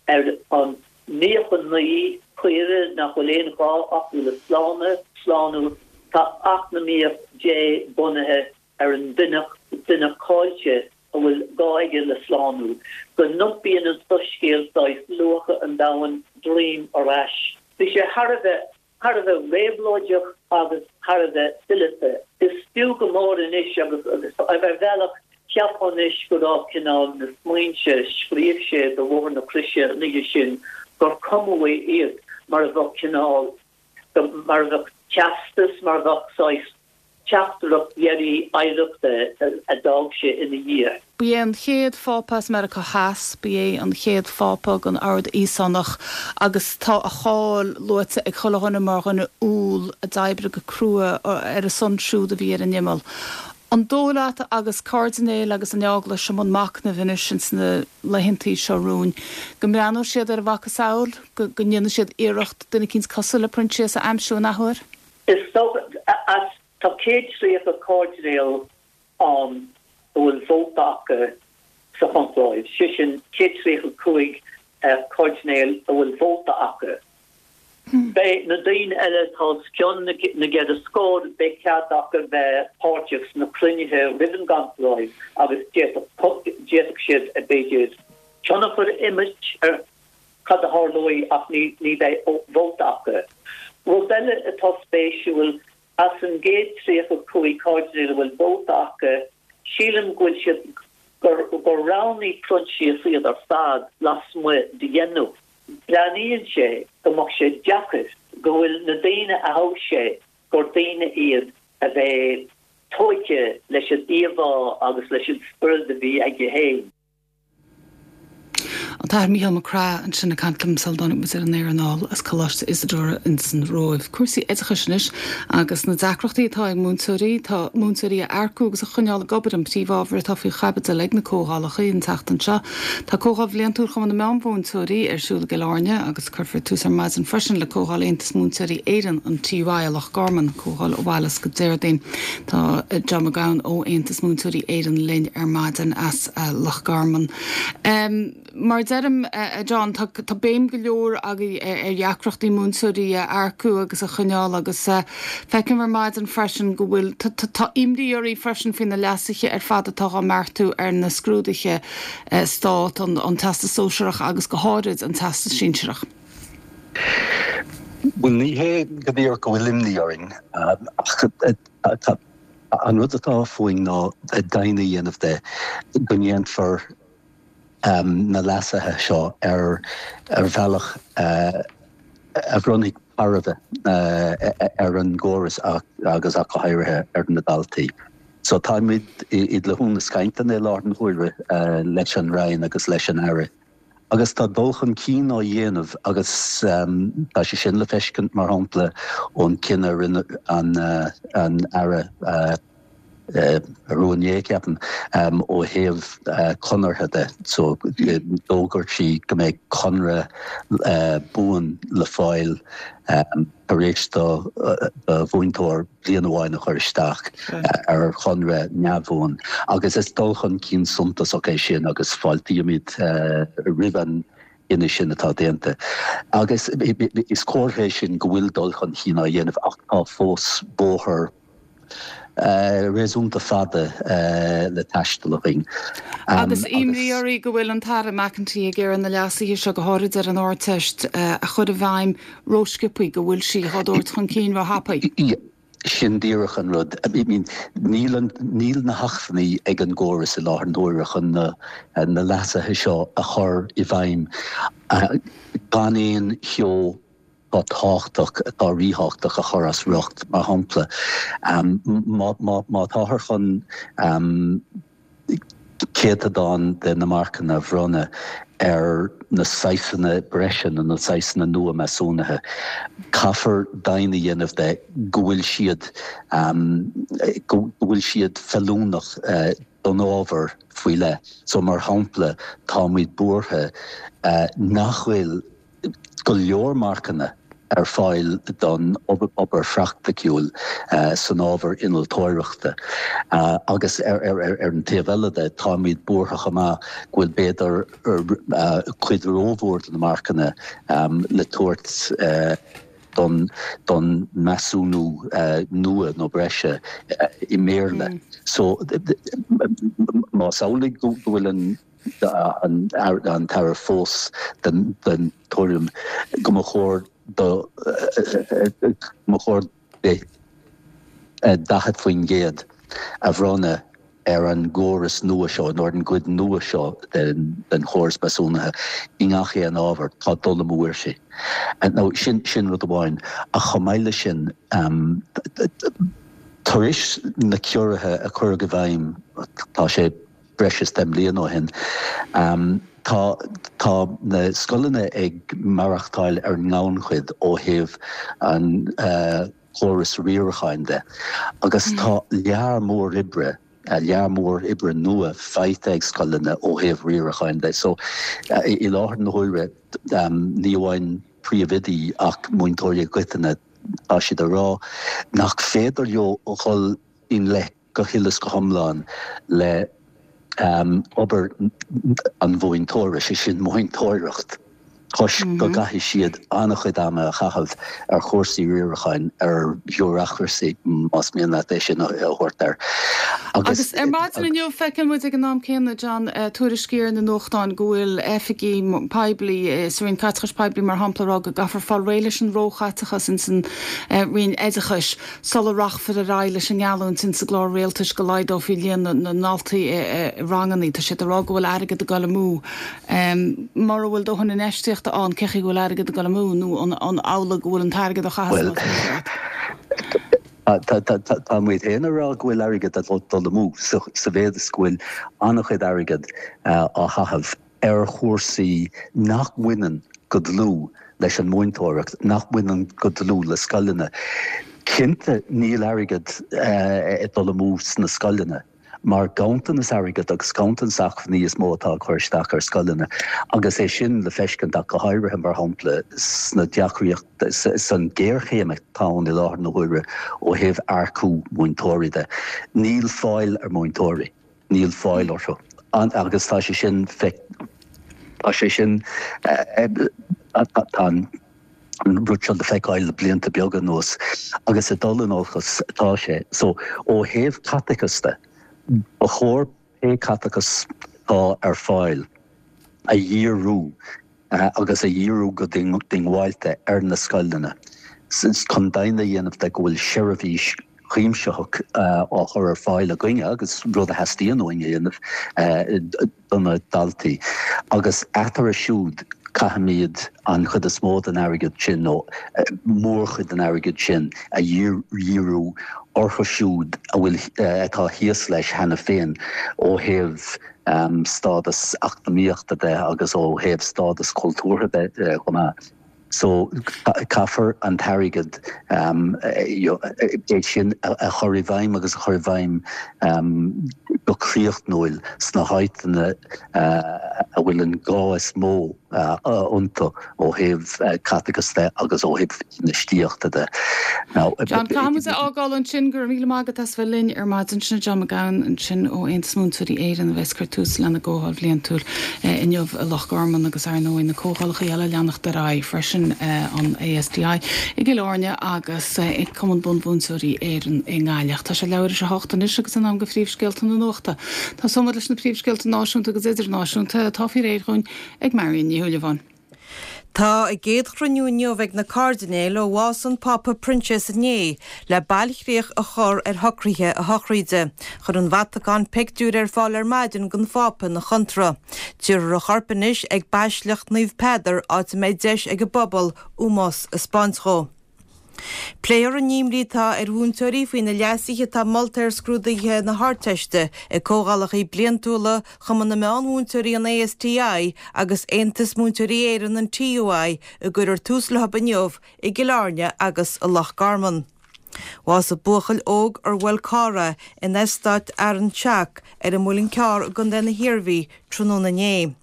ar an 99 caoire nach bhfuil aon ghá acu le slánú, slánú, tá eacnamaíocht Dé bunaithe ar an duine, duine caillte a bhfuil gá aige le slánú, go n-iompaíonn an soiscéal saghas luacha an domhain droim ar ais. Bhí sé thar a bheith, thar a bheith réabhlóideach agus thar a bheith fileata. Is fiú go mór anois agus, agus ar bhealach cheapfá anois go raibh cineál na smaointe a scríobh sé do Bhóthar na Croise an oíche sin, gur cumadh iad mar a bheadh cineál, mar a bheadh teastas, mar a bheadh saghas teachtaireacht dheiridh oidhreachta a d'fhág sé ina dhiaidh. Ba é an chéad Phápa as Meiriceá Theas, ba é an chéad Phápa den Ord Íosánach agus tá a cháil luaite ag chuile dhuine mar dhuine umhal a d'oibrigh go crua ar a son siúd a bhí ar an imeall. An dóigh leat agus cairdinéil agus an Eaglais i mbun machnaimh anois ins na laethantaí seo romhainn go mbreathnóidh siad ar a mhacasamhail, go ndéanfaidh siad iarracht duine eicínt cosúil le Proinsias a aimsiú an athuair? Is dócha, as, tá 130 cairdinéal ann a bhfuil vóta acu sa choncláibh, sé sin 135 cairdinéal a bhfuil vóta acu. Beidh na daoine eile atá os cionn na gceithre scór, beidh cead acu bheith páirteach sna cruinnithe roimh an gconcláibh agus d'fhéadfadh siad, b'fhéidir, tionchar a imirt ar cad a tharlóidh ach ní bheidh vóta acu. Rud eile atá spéisiúil, as an gcéad 35 cairdinéal a bhfuil vóta acu, sílim go bhfuil siad, gur roghnaigh Proinsias iad ar fad lasmuigh de dheichniúr. Breathnaíonn sé go mbeadh sé deacair go bhfuil na daoine a thogh sé gur daoine iad a bheidh tóigthe leis an íomhá agus leis an spiorad a bhí aige féin. An tAthair Mícheál Mac Craith ansin ag caint liom sula dtáinig muid ar an aer anall as Coláiste Isadora ins an Róimh. Cúrsaí oideachais anois agus na deacrachtaí atá ag múinteoirí. Tá múinteoirí a earcú agus a choinneáil ag obair an príomhábhar atá faoi chaibidil ag na comhdhálacha an tseachtain seo. Tá Comhdháil Bhliantúil Chumann na Meánmhúinteoirí ar siúl i gCill Airne agus cuirfear tús ar maidin freisin le Comhdháil Aontas Múinteoirí Éireann, an TUI, i Loch Garman, comhdháil a mhairfeas go Déardaoin. Tá John Mac Gabhann ó Aontas Múinteoirí Éireann linn ar maidin as Loch Garman. Mar a deirim, a John, tá béim go leor agaibh ar dheacrachtaí múinteoirí a earcú agus a choinneáil agus feicim ar maidin freisin go bhfuil, tá imní oraibh freisin faoi na leasuithe ar fad atá á mbeartú ar na scrúduithe Stát, an Teastas Sóisearach agus go háirid an Teastas Sinsearach. Bhuel, ní hé go díreach go bhfuil imní orainn, ach an rud atá fúinn ná deimhin a dhéanamh de go ndéanfar na leasuithe seo ar bhealach a bhronnfaidh tairbhe ar an gcóras agus ach go háirithe ar na daltaí. So táimid i dtluthúnas cainteanna i láthair na huaire leis an Roinn agus leis an Aire agus tá dul chun cinn á dhéanamh agus tá sé sin le feiscint, mar shampla, ón cinneadh a rinne an Aire arú inné, ceapaim, ó thaobh conartha de. So d'fhógair sí go mbeidh conradh buan le fáil tar éis do mhúinteoir bliain amháin a chur isteach ar chonradh neamhbhuan agus is dul chun cinn suntasach é sin agus fáiltímid roimh an gcinneadh sin atá déanta. Agus is comhartha é sin go bhfuil dul chun cinn á dhéanamh ach tá fós bóthar réasúnta fada le taisteal againn. Agus imní oraibh go bhfuil an tAire McEntee ag iarraidh na leasuithe seo, go háirid ar an Ardteist, a chur i bhfeidhm rósciobtha, go bhfuil sí á dtabhairt chun cinn róthapaidh. Sin díreach an rud. I mean, níl an, níl na hacmhainní ag an gcóras i láthair na huaire chun na, na leasuithe seo a chur i bhfeidhm gan aon cheo atá tábhachtach, atá ríthábhachtach a chur as riocht. Mar shampla, má táthar chun céatadán de na marcanna a bhronnadh ar na saghsanna breise nó na saghsanna nua measúnaithe, caithfear deimhin a dhéanamh de go bhfuil siad go bhfuil siad feiliúnach don ábhar faoi leith. So, mar shampla, táimid buartha nach bhfuil go leor marcanna ar fáil don obair phraiticiúil san ábhar innealtóireachta agus ar an taobh eile de táimid buartha chomh maith go bhfuil b'fhéidir cuid rómhór de na marcanna le tabhairt don measúnú nua nó breise i mBéarla. So más amhlaidh go bhfuil an an tAire fós den tuairim go mba chóir do go mba chóir di 40% a bhronnadh ar an gcóras nua seo, nó ar an gcuid nua seo den chóras measúnaithe i ngach aon ábhar, tá dul amú uirthi. Now sin sin rud amháin. Ach chomh maith leis sin, tar éis na ciorruithe a cuireadh i bhfeidhm, tá sé, breis is 10 mbliana ó shin. Tá tá na scoileanna ag maireachtáil ar an ngannchuid ó thaobh an chórais riaracháin de agus tá lear mór oibre, lear mór oibre nua faighte ag scoileanna ó thaobh riaracháin de. So i láthair na huaire ní amháin príomhoidí ach múinteoirí i gcoitinne tá siad ag rá nach féidir leo dhul i ngleic go huile is go hiomlán le obair an mhúinteora, sé sin múinteoireacht, toisc go gcaithfidh siad an-chuid ama a chaitheamh ar chúrsaí riaracháin, ar bureaucracy, más mian leat é sin a thabhairt air. Agus ar maidin inniu, feiceann muid ag an am céanna, John, tuairiscí ar na nuachtáin go bhfuil oifigigh poiblí, sa Roinn Caiteachais Poiblí mar shampla, ag rá go gcaithfear fáil réidh leis an róchaiteachas ins an Roinn Oideachais. Sula rachfar ar aghaidh leis an ngeallúint insa gclár rialtais go laghdófaí líon na ndaltaí i ranganna, tá siad ag rá go bhfuil airgead ag dul amú. Mura bhfuil dóthain infheistíochta ann, cén chaoi go bhfuil airgead ag dul amú nó an amhlaidh go bhfuil an t-airgead á chaitheamh san áit mícheart? Bhuel, tá muid féin ag rá go bhfuil airgead ag dul amú sa mhéad is go bhfuil an-chuid airgid á chaitheamh. ar chúrsaí nach mbaineann go dlúth leis an múinteoireacht, nach mbaineann go dlúth le scoileanna. Cinnte níl airgead ag dul amú sna scoileanna mar ganntanas airgid agus ganntanas acmhainní is mó atá ag cur isteach ar scoileanna agus é sin le feiscint ach go háirithe mar shampla sna deacraíocht, san ghéarchéim atá ann i láthair na huaire ó thaobh earcú múinteoirí de. Níl fáil ar mhúinteoirí. Níl fáil orthu. Agus tá sé sin, tá sé sin, tá an rud seo le feiceáil le blianta beaga anuas agus ag dul in olcas atá sé. So, ó thaobh caiteachas de, ba chóir pé caiteachas atá ar fáil a dhíriú agus a dhíriú go diongbháilte ar na scoileanna. Chun deimhin a dhéanamh de go bhfuil seirbhís chuimsitheach á chur ar fáil againne, agus rud a theastaíonn uainn a dhéanamh, do na daltaí. Agus eatarthu siúd, caithfimid an chuid is mó den airgead sin, nó mórchuid den airgead sin, a dhíriú orthu siúd a bhfuil, atá thíos leis cheana féin ó thaobh stádas eacnamaíochta de agus ó thaobh stádas cultúrtha de chomh maith. So, caithfear an t-airgead, é sin a chur i bhfeidhm agus a chur i bhfeidhm go críochnúil sna háiteanna a bhfuil an gá is mó iontu ó thaobh caiteachas de agus ó thaobh infheistíochta de. Now, John, caithfidh muid a fhágáil ansin. Go raibh míle maith agat as bheith linn ar maidin. Sin John Mac Gabhann ansin ó Aontas Múinteoirí Éireann a bheas ag cur tús lena gcomhdháil bhliantúil inniu i Loch Garman agus ar ndóigh na comhdhálacha eile ag leanacht ar aghaidh freisin, an ASTI i gCill Airne agus Cumann Bunmhúinteoirí Éireann i nGaillimh. Tá sé leathuair tar éis a hocht anois agus in am do phríomhscéalta na nuachta. Tosóidh muid leis na príomhscéalta náisiúnta agus idirnáisiúnta atá faoi réir dhúinn ag Marion Ní Shúilleabháin. Tá a gcéad chruinniú inniu ag na cairdinéil ó bhás an Phápa Proinsias inné le bailchríoch a chur ar shocruithe a shochraide. Chuir an Vatacáin pictiúr ar fáil ar maidin den Phápa ina chontracht. Tabharfar a chorp anois ag Baisleac Naomh Peadar áit a mbeidh deis ag an bpobal ómós a 'speáint dhó. Pléifear an imní atá ar mhúinteoirí faoi na leasuithe atá molta ar scrúduithe na hArdteiste ag comhdhálacha bliantúla Chumann na Meán-Mhúinteoirí an ASTI agus Aontas Múinteoirí Éireann an TUI a gcuirfear tús leo inniu i gCill Airne agus i Loch Garman. Bhásaigh buachaill óg ar bhuail carr é in eastát Fhearann Seach ar an Muileann Cearr i gContae na hIarmhí tráthnóna inné.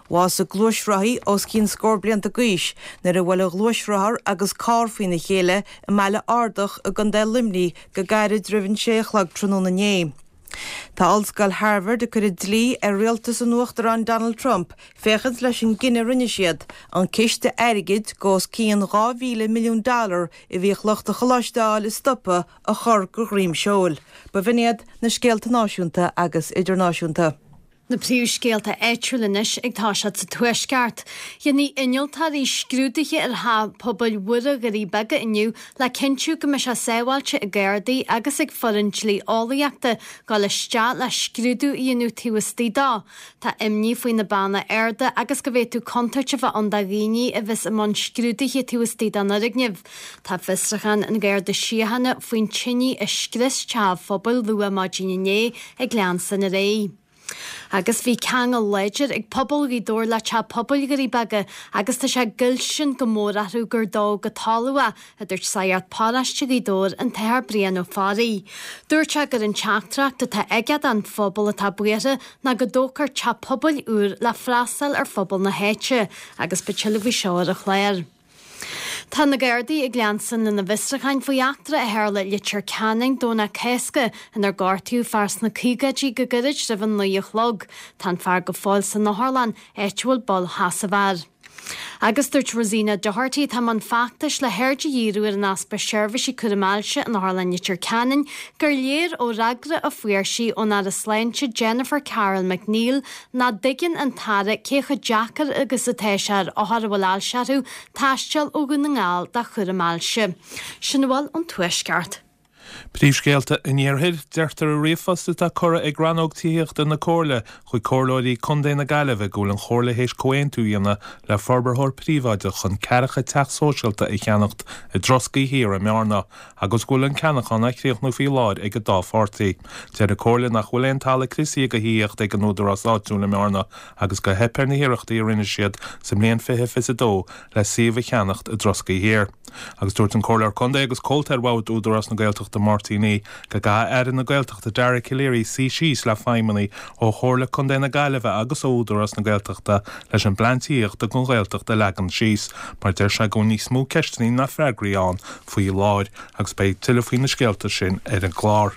Bhásaigh gluaisrothaí os cionn scór blianta d'aois nuair a bhuail a ghluaisrothar agus carr faoina chéile i mBaile Ardach i gContae Luimnigh go gairid roimh an sé a chlog tráthnóna inné. Tá Ollscoil Harvard ag cur an dlí ar rialtas an Uachtaráin Donald Trump féachaint leis an gcinneadh a rinne siad an ciste airgid de os cionn 2,000 milliún dollar a bhíodh lucht an choláiste a fháil a stopadh a chur de dhroim seoil. B'in iad na scéalta náisiúnta agus idirnáisiúnta. Na príomhscéalta áitiúla anois ag toiseacht sa Tuaisceart. Déanfaidh innealtóirí scrúduithe ar theach pobail Mhuire Dhoirí Beaga inniu le cinntiú go mbeidh sé sábháilte ag Gardaí agus ag foireann dlí-eolaíochta dul isteach le scrúdú a dhéanamh taobh istigh dó. Tá imní faoi na beanna arda agus go bhféadfadh contúirt a bheith ann do dhaoine a bheas i mbun scrúduithe taobh istigh den fhoirgneamh. Tá fiosrúchán an Gharda Síochána faoin tine a scrios teach an phobail luath maidin inné ag leanstan ar aghaidh. Agus bhí ceangal láidir ag pobal Ghaoth Dobhair le Teach Pobail Dhoirí Beaga agus tá sé goillsean go mór orthu gur dódh go talamh é, a dúirt Sagart Paróiste Ghaoth Dobhair, an tAthair Brian Ó Fearraigh. Dúirt sé gur an teachtaireacht atá aige don phobal atá buartha ná go dtógfar teach pobail úr le freastal ar phobal na háite agus beidh tuilleadh faoi seo ar an chlár. Tá na Gardaí ag leanstan lena bhfiosrúcháin faoi eachtra a tharla i Leitir Ceanainn Domhnach Cásca inar gortaíodh fear sna caogaidí go gairid roimh a 9 a chlog. Tá an fear go fóill san otharlann, áit a bhfuil bail sheasaimh air. Agus dúirt Rosina Doherty, atá i mbun feachtais le haird a dhíriú ar an easpa seirbhísí cúraim ailse in Otharlann Leitir Ceanainn, gur léir ó fhreagra a fuair sí ón Aire Sláinte Jennifer Carroll MacNeill nach dtuigeann an tAire cé chomh deacair agus atá sé ar othair a bhfuil ailse orthu taisteal ó Dhún na nGall do chúram ailse. Sin a bhfuil ón Tuaisceart. Príomhscéalta an Iarthair, Deirtear i ríomhphost atá curtha ag Rannóg Tithíochta na Comhairle chuig Comhairleoirí Contae na Gaillimhe go bhfuil an Chomhairle théis comhaontú a dhéanamh le forbarthóir príobháideach chun ceathracha teach sóisialta a cheannacht i dTroscaí Thiar i mBearna agus go bhfuil an ceannachán á chríochnú faoi láthair ag an dá pháirtí. Deir an Comhairle nach bhfuil aon talamh criosaithe do thithíocht ag an údarás áitiúil i mBearna agus gur theip ar na hiarrachtaí a rinne siad sa mbliain 2022 le suíomh a cheannacht i dTroscaí Thiar. Agus dúirt an Comhairleoir Contae agus Comhalta ar Bhord Údarás na Gaeltachta Máirtín Uí go gcaithfidh Aire na Gaeltachta Dara Calleary suí síos le feidhmeannaigh ó Chomhairle Contae na Gaillimhe agus ó Údarás na Gaeltachta leis an bplean tithíochta don Ghaeltacht a leagan síos mar deir sé go bhfuil níos mó ceisteanna ná freagraí ann faoi láthair agus beidh tuilleadh faoi na scéalta sin ar an gclár.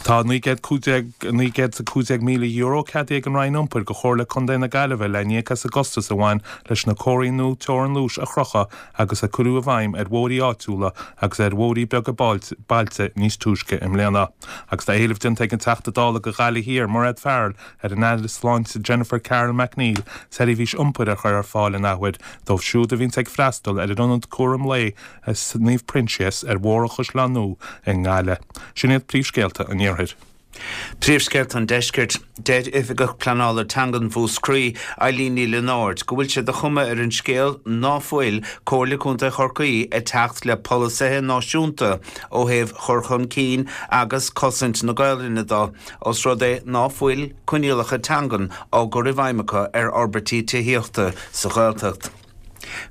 Tá €915,000 ceadaithe ag an Roinn Iompair do Chomhairle Contae na Gaillimhe le n-íoc as an gcostas a bhain leis na comharthaí nua teorann luais a chrochadh agus a cuireadh i bhfeidhm ar bhóithrí áitiúla agus ar bhóithrí beaga bailte níos túisce i mbliana. Agus tá éileamh déanta ag an Teachta Dála do Ghaillimh Thiar, Mairéad Farrell, ar an Aire Sláinte Jennifer Carroll MacNeill seirbhís iompair a chur ar fáil an athuair dóibh siúd a bhíonns ag freastal ar an Ionad Cúram Lae Naomh Proinsias ar Bhóthar an Chaisleáin Nua i nGaillimh. Sin iad príomhscéalta an Iarthair. Príomhscéalta an Deiscirt. Deir Oifigeach Pleanála Teangan Mhúscraí, Eileen Ní Lionáird, go bhfuil sé de chuma ar an scéal ná fuil Comhairle Contae Chorcaí ag teacht le polasaithe náisiúnta ó thaobh chur chun cinn agus cosaint na Gaolainne do, os rud é ná fuil coinníollacha teangan á gcur i bhfeidhm acu ar fhorbairtí tithíochta sa Ghaeltacht.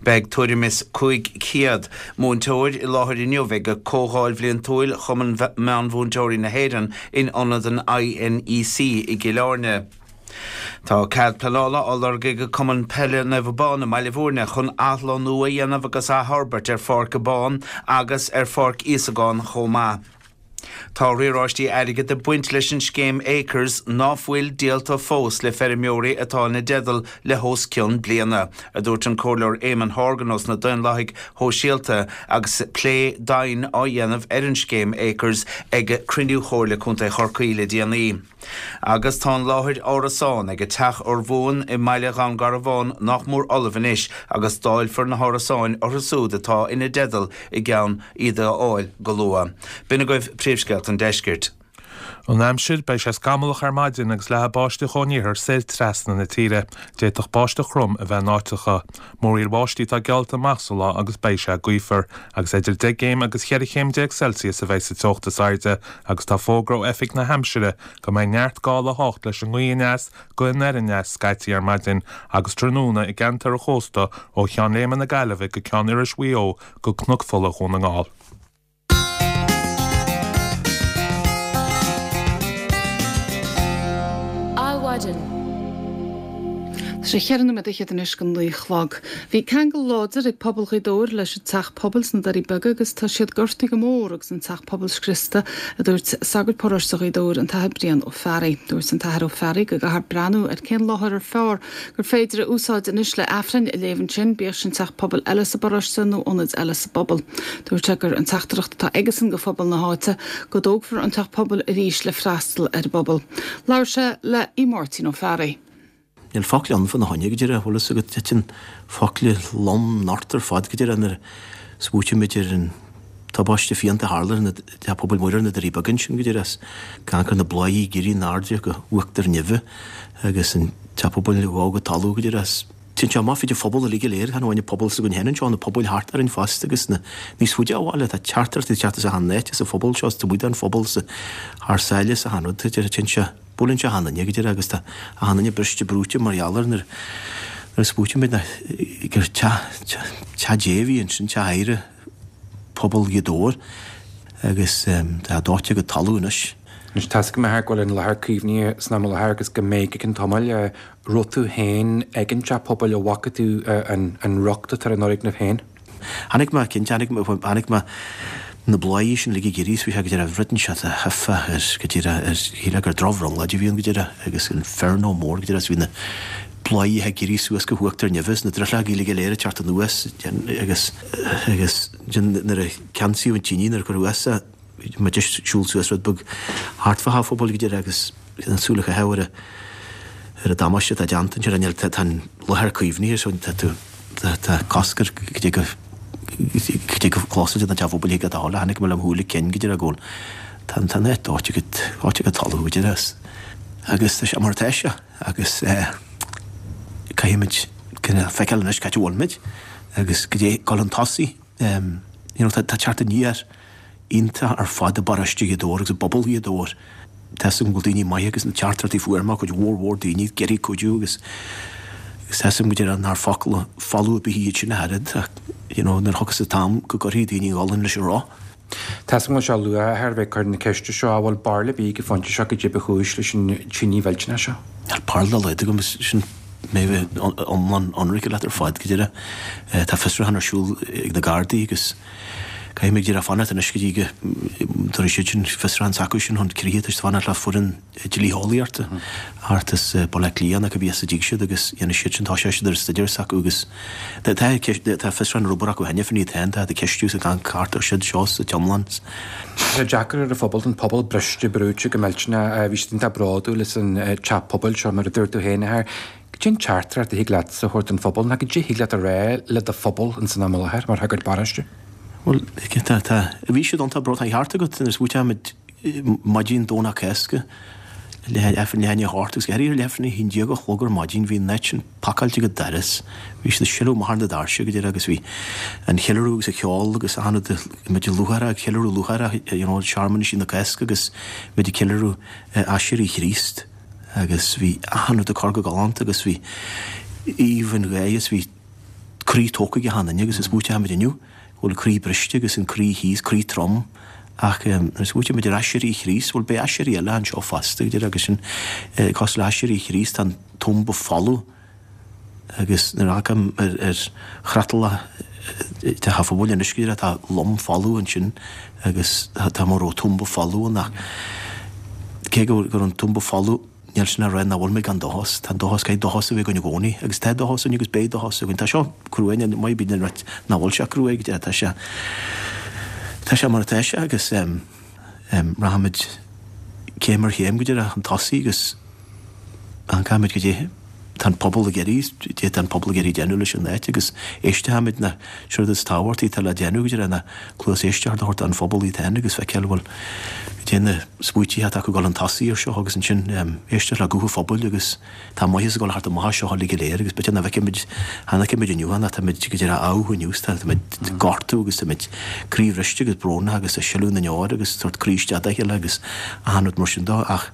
Beidh tuairim is 500 múinteoir i láthair inniu ag Comhdháil Bhliantúil Chumann Meánmhúinteoirí na hÉireann in ionad an INEC i gCill Airne. Tá cead pleanála á lorg ag Cumann Peile Naomh Abán i mBaile Bhúirne chun athlonnú a dhéanamh agus athfhorbairt ar Pháirc Abán agus ar Pháirc Íosagán chomh maith. Tá riaráistí airgid ag baint leis an scéim Acres ná fuil díolta fós le feirmeoirí atá ina dteideal le hos cionn bliana, a dúirt an Comhairleoir Eamon Horgan ós na Daonlathaigh Shóisialta agus plé domhain á dhéanamh ar an scéim Acres ag cruinniú Chomhairle Contae Chorcaí le déanaí. Agus tá an láthair árasán ag an teach urmhumhan i mbaile Dhún Garbhán nach mór ullamh anois agus dáilfear na hárasáin orthu siúd atá ina dteideal i gceann iad a fháil go luath. B'in agaibh príomhscéalta an deiscirt. An aimsir, Beidh sé scamallach ar maidin agus leathfaidh báisteach ón iarthar soir trasna na tíre. D'fhéadfadh báisteach throm a bheith in áiteacha. Múraíl bháistí atá geallta amach sa lá agus beidh sé gaofar, agus idir 10 gcéim agus 14 chéim Celsius a bheidh sa teocht is airde agus tá fógra ó Oifig na hAimsire go mbeidh neart gála a theacht leis an ngaoth aneas go anoir aneas scaití ar maidin agus tráthnóna i gceantar an chósta ó Cheann Léime na Gaillimhe go Ceann Iorrais Mhaigh Eo go Cnoc Fola Dhún na nGall. Adhmhaidin. Tá sé cheithre nóiméad fhichead anois go naoi a chlog. Bhí ceangal láidir ag pobal Ghaoth Dobhair leis an teach pobail sna Doirí Beaga agus tá siad gortaithe go mór agus an teach pobail scriosta, a dúirt sagart paróiste Ghaoth Dobhair, an tAthair Brian Ó Fearraigh. Dúirt an tAthair Ó Fearraigh go gcaithfear breathnú ar cén láthair ar fearr gur féidir a úsáid anois le Aifreann a léamh ansin, bíodh sin teach pobail eile sa bparóiste nó ionaid eile sa bpobal. Dúirt sé gur an teachtaireacht atá aigesan go phobal na háite go dtógfar an teach pobail arís le freastal ar an bpobal. Labhair sé le Máirtín Ó Fearraigh. Níl focla ann fá na choinne go díreach, bhfuil fhios agat, titeann focla lom ort ar fad go díreach nuair a smaoitímid ar an tubaiste phianta a tharla ar Teach Pobail Mhuire ar na Doirí Beaga ansin go díreach, ag amharc ar na bláthaí ag éirí in airde go huachtar neimhe agus an Teach Pobail ag dul go talamh go díreach. Téann sé amach fríd an phobal uilig go léir, chan amháin an pobal s'againn féin anseo, na pobail thart orainn fosta agus na níos faide ó bhaile. Tá teachtaireachtaí ag teacht as achan áit, as an phobal seo, as taobh amuigh den phobal, as thar sáile, as achan rud. Téann sé. Buaileann sé achan duine go díreach agus tá achan duine briste brúite mar gheall air nuair a smaoitímid gur teach Dé a bhí ansin, teach adhartha phobal Ghaoth Dobhair agus tá dóite go talamh anois. Anois tá 'fhios agam a Athair go bhfuil an láthair caomhnaithe san am i láthair agus go mbeidh go ceann tamaill. Raibh tú féin ag an teach pobail an bhfaca tú an riocht atá ar an fhoirgneamh féin? Chonaic mé, cinnte, chonaic mé, chonaic mé na bláthaí sin uilig ag éirí is bhí sé go díreach, rud inteacht a thiocfá ar, go díreach, ar, shílfeá gur drochbhrionglóid a bhí ann go díreach agus inferno mór go díreach is bhí na bláthaí ag éirí suas go huachtar neimhe is na drithleogaí uilig go léir ag teacht anuas agus, agus nuair a ceansaíodh an tine nuair a cuireadh as é, Bhí muid ag siúl suas rud beag thart fá theach phobail go díreach agus an súil a chaitheamh ar ar an damáiste atá déanta ansin. Níl, tá an láthair caomhnaithe so tá tú, tá cosc ar go dtí go, go dtí go gclosfaidh an teach phobail thig leat a dhul. Chonaic mé lem shúile cinn go díreach go bhfuil, tá an, tá an áit dóite go, dóite go talamh go díreach agus tá sé mar atá sé agus eh caithfimid cineál feiceáil anois cá háit a bhfuil muid agus go dtí dul chun tosaigh. You know tá teacht aniar iontach ar fad i bparóiste Ghaoth Dobhair agus i bpobal Ghaoth Dobhair. Tá 'fhios agam go bhfuil daoine maithe agus na teachtaireachtaí a fuair mé, cuid mhór mhór daoine ag iarraidh cuidiú agus agus tá 'fhios agam go deireadh nár focal folamh ar bith iad sin ach oiread ach you know nuair a thiocfas an t-am go gcuirfidh daoine an ghualainn leis an roth. Tá 'fhios agam go bhfuil sé luath a Athair a bheith ag cur na ceiste seo, an bhfuil barúil ar bith ag an phointe seo goidé ba chúis leis an tine mhillteanach seo? Níl barúil dá laghad agam, sin mé a bheith iomlán ionraic leat ar fad go deireadh. Tá fiosrúchán ar siúl ag na Gardaí agus. Caithfidh muid díreach fanacht anois go dtí go dtabharfaidh siad sin fiosrúchán s'acu sin chun críche, tá siad ag fanacht le foireann dlítheolaíochta thart as Baile Átha Cliath nó cibé as a dtig siad agus dhéanfaidh siad sin, toiseoidh siad ar an staidéar s'acu agus tá tá fiosrúchán ar obair acu cheana féin iad féin, tá ag ceistiú sa gcán ceart ar siad seo sa t-iomlán. Tá sé deacair ar an phobal, tá an pobal briste brúite go millteanach, bhí siad iontach bródúil as an teach pobail seo mar a dúirt tú féin a Athair. Cad é an teachtaireacht a thig leatsa a thabhairt don phobal, nó cad é a thig leat a rá le do phobal ins an am i láthair mar shagart paróiste? Bhuel, tá, tá, bhí siad iontach bródúil, tá an ceart agat, nuair a smaoitímid maidin Domhnach Cásca, leath, leath i ndiaidh a hocht agus go háirithe leath i ndiaidh a haon déag a chlog ar maidin, bhí an áit sin pacáilte go doras, bhí siad ag sileadh amach ar na doirse go deireadh agus bhí an cheiliúradh agus an cheol agus achan rud, muid lúcháireach, ag ceiliúradh lúcháireach, you know, searmanaisí na Cásca agus muid ag ceiliúradh aiséirí Chríost. agus bhí achan rud ag cur go galánta agus bhí aoibh an gháire is bhí croí tógtha ag achan duine agus is smaoitímid inniu go bhfuil croí briste agus an croí thíos, croí trom ach nuair a smaoitímid ar aiséirí Chríost, bhuel beidh aiséirí eile anseo fosta, go deimhin agus sin cosúil le haiséirí Chríost tá an tumba folamh. Agus nuair a amharcaim ar chreatlach Teach an Phobail anois go díreach, tá lom folamh ansin agus tá mar a bheadh tumba folamh ann ach cé go raibh an tumba folamh, níl sin a rá nach bhfuil mé gan dóchas. Tá an dóchas, caithfidh dóchas a bheith againn i gcónaí agus tá dóchas againn agus beidh dóchas againn. Tá seo cruaidh, ní maith bíonn an rud nach bhfuil sé cruaidh go díreach, tá sé, tá sé mar atá sé agus rachaimid céim ar chéim go díreach chun tosaigh agus amharcfaimid goidé tá an pobal ag iarraidh, goidé tá an pobal ag iarraidh déanamh leis an áit agus éistfimid ná sé rud is tábhachtaí atá le déanamh go díreach ná cluas éisteachta a thabhairt don phobal iad féin agus feiceáil bhfuil goidé na smaoitithe atá acu ag dul chun tosaigh ar seo agus ansin éisteacht le guth an phobail agus tá maitheas ag dul thart amach as seo uilig go léir agus b'fhéidir nach bhfeicimid, chan fheicimid inniu ach táimid go díreach ádh inniu táimid gortú agus táimid croíbhriste agus brónach agus ag sileadh na ndeor agus tabhairt croí isteach dá chéile agus achan rud mar sin dó ach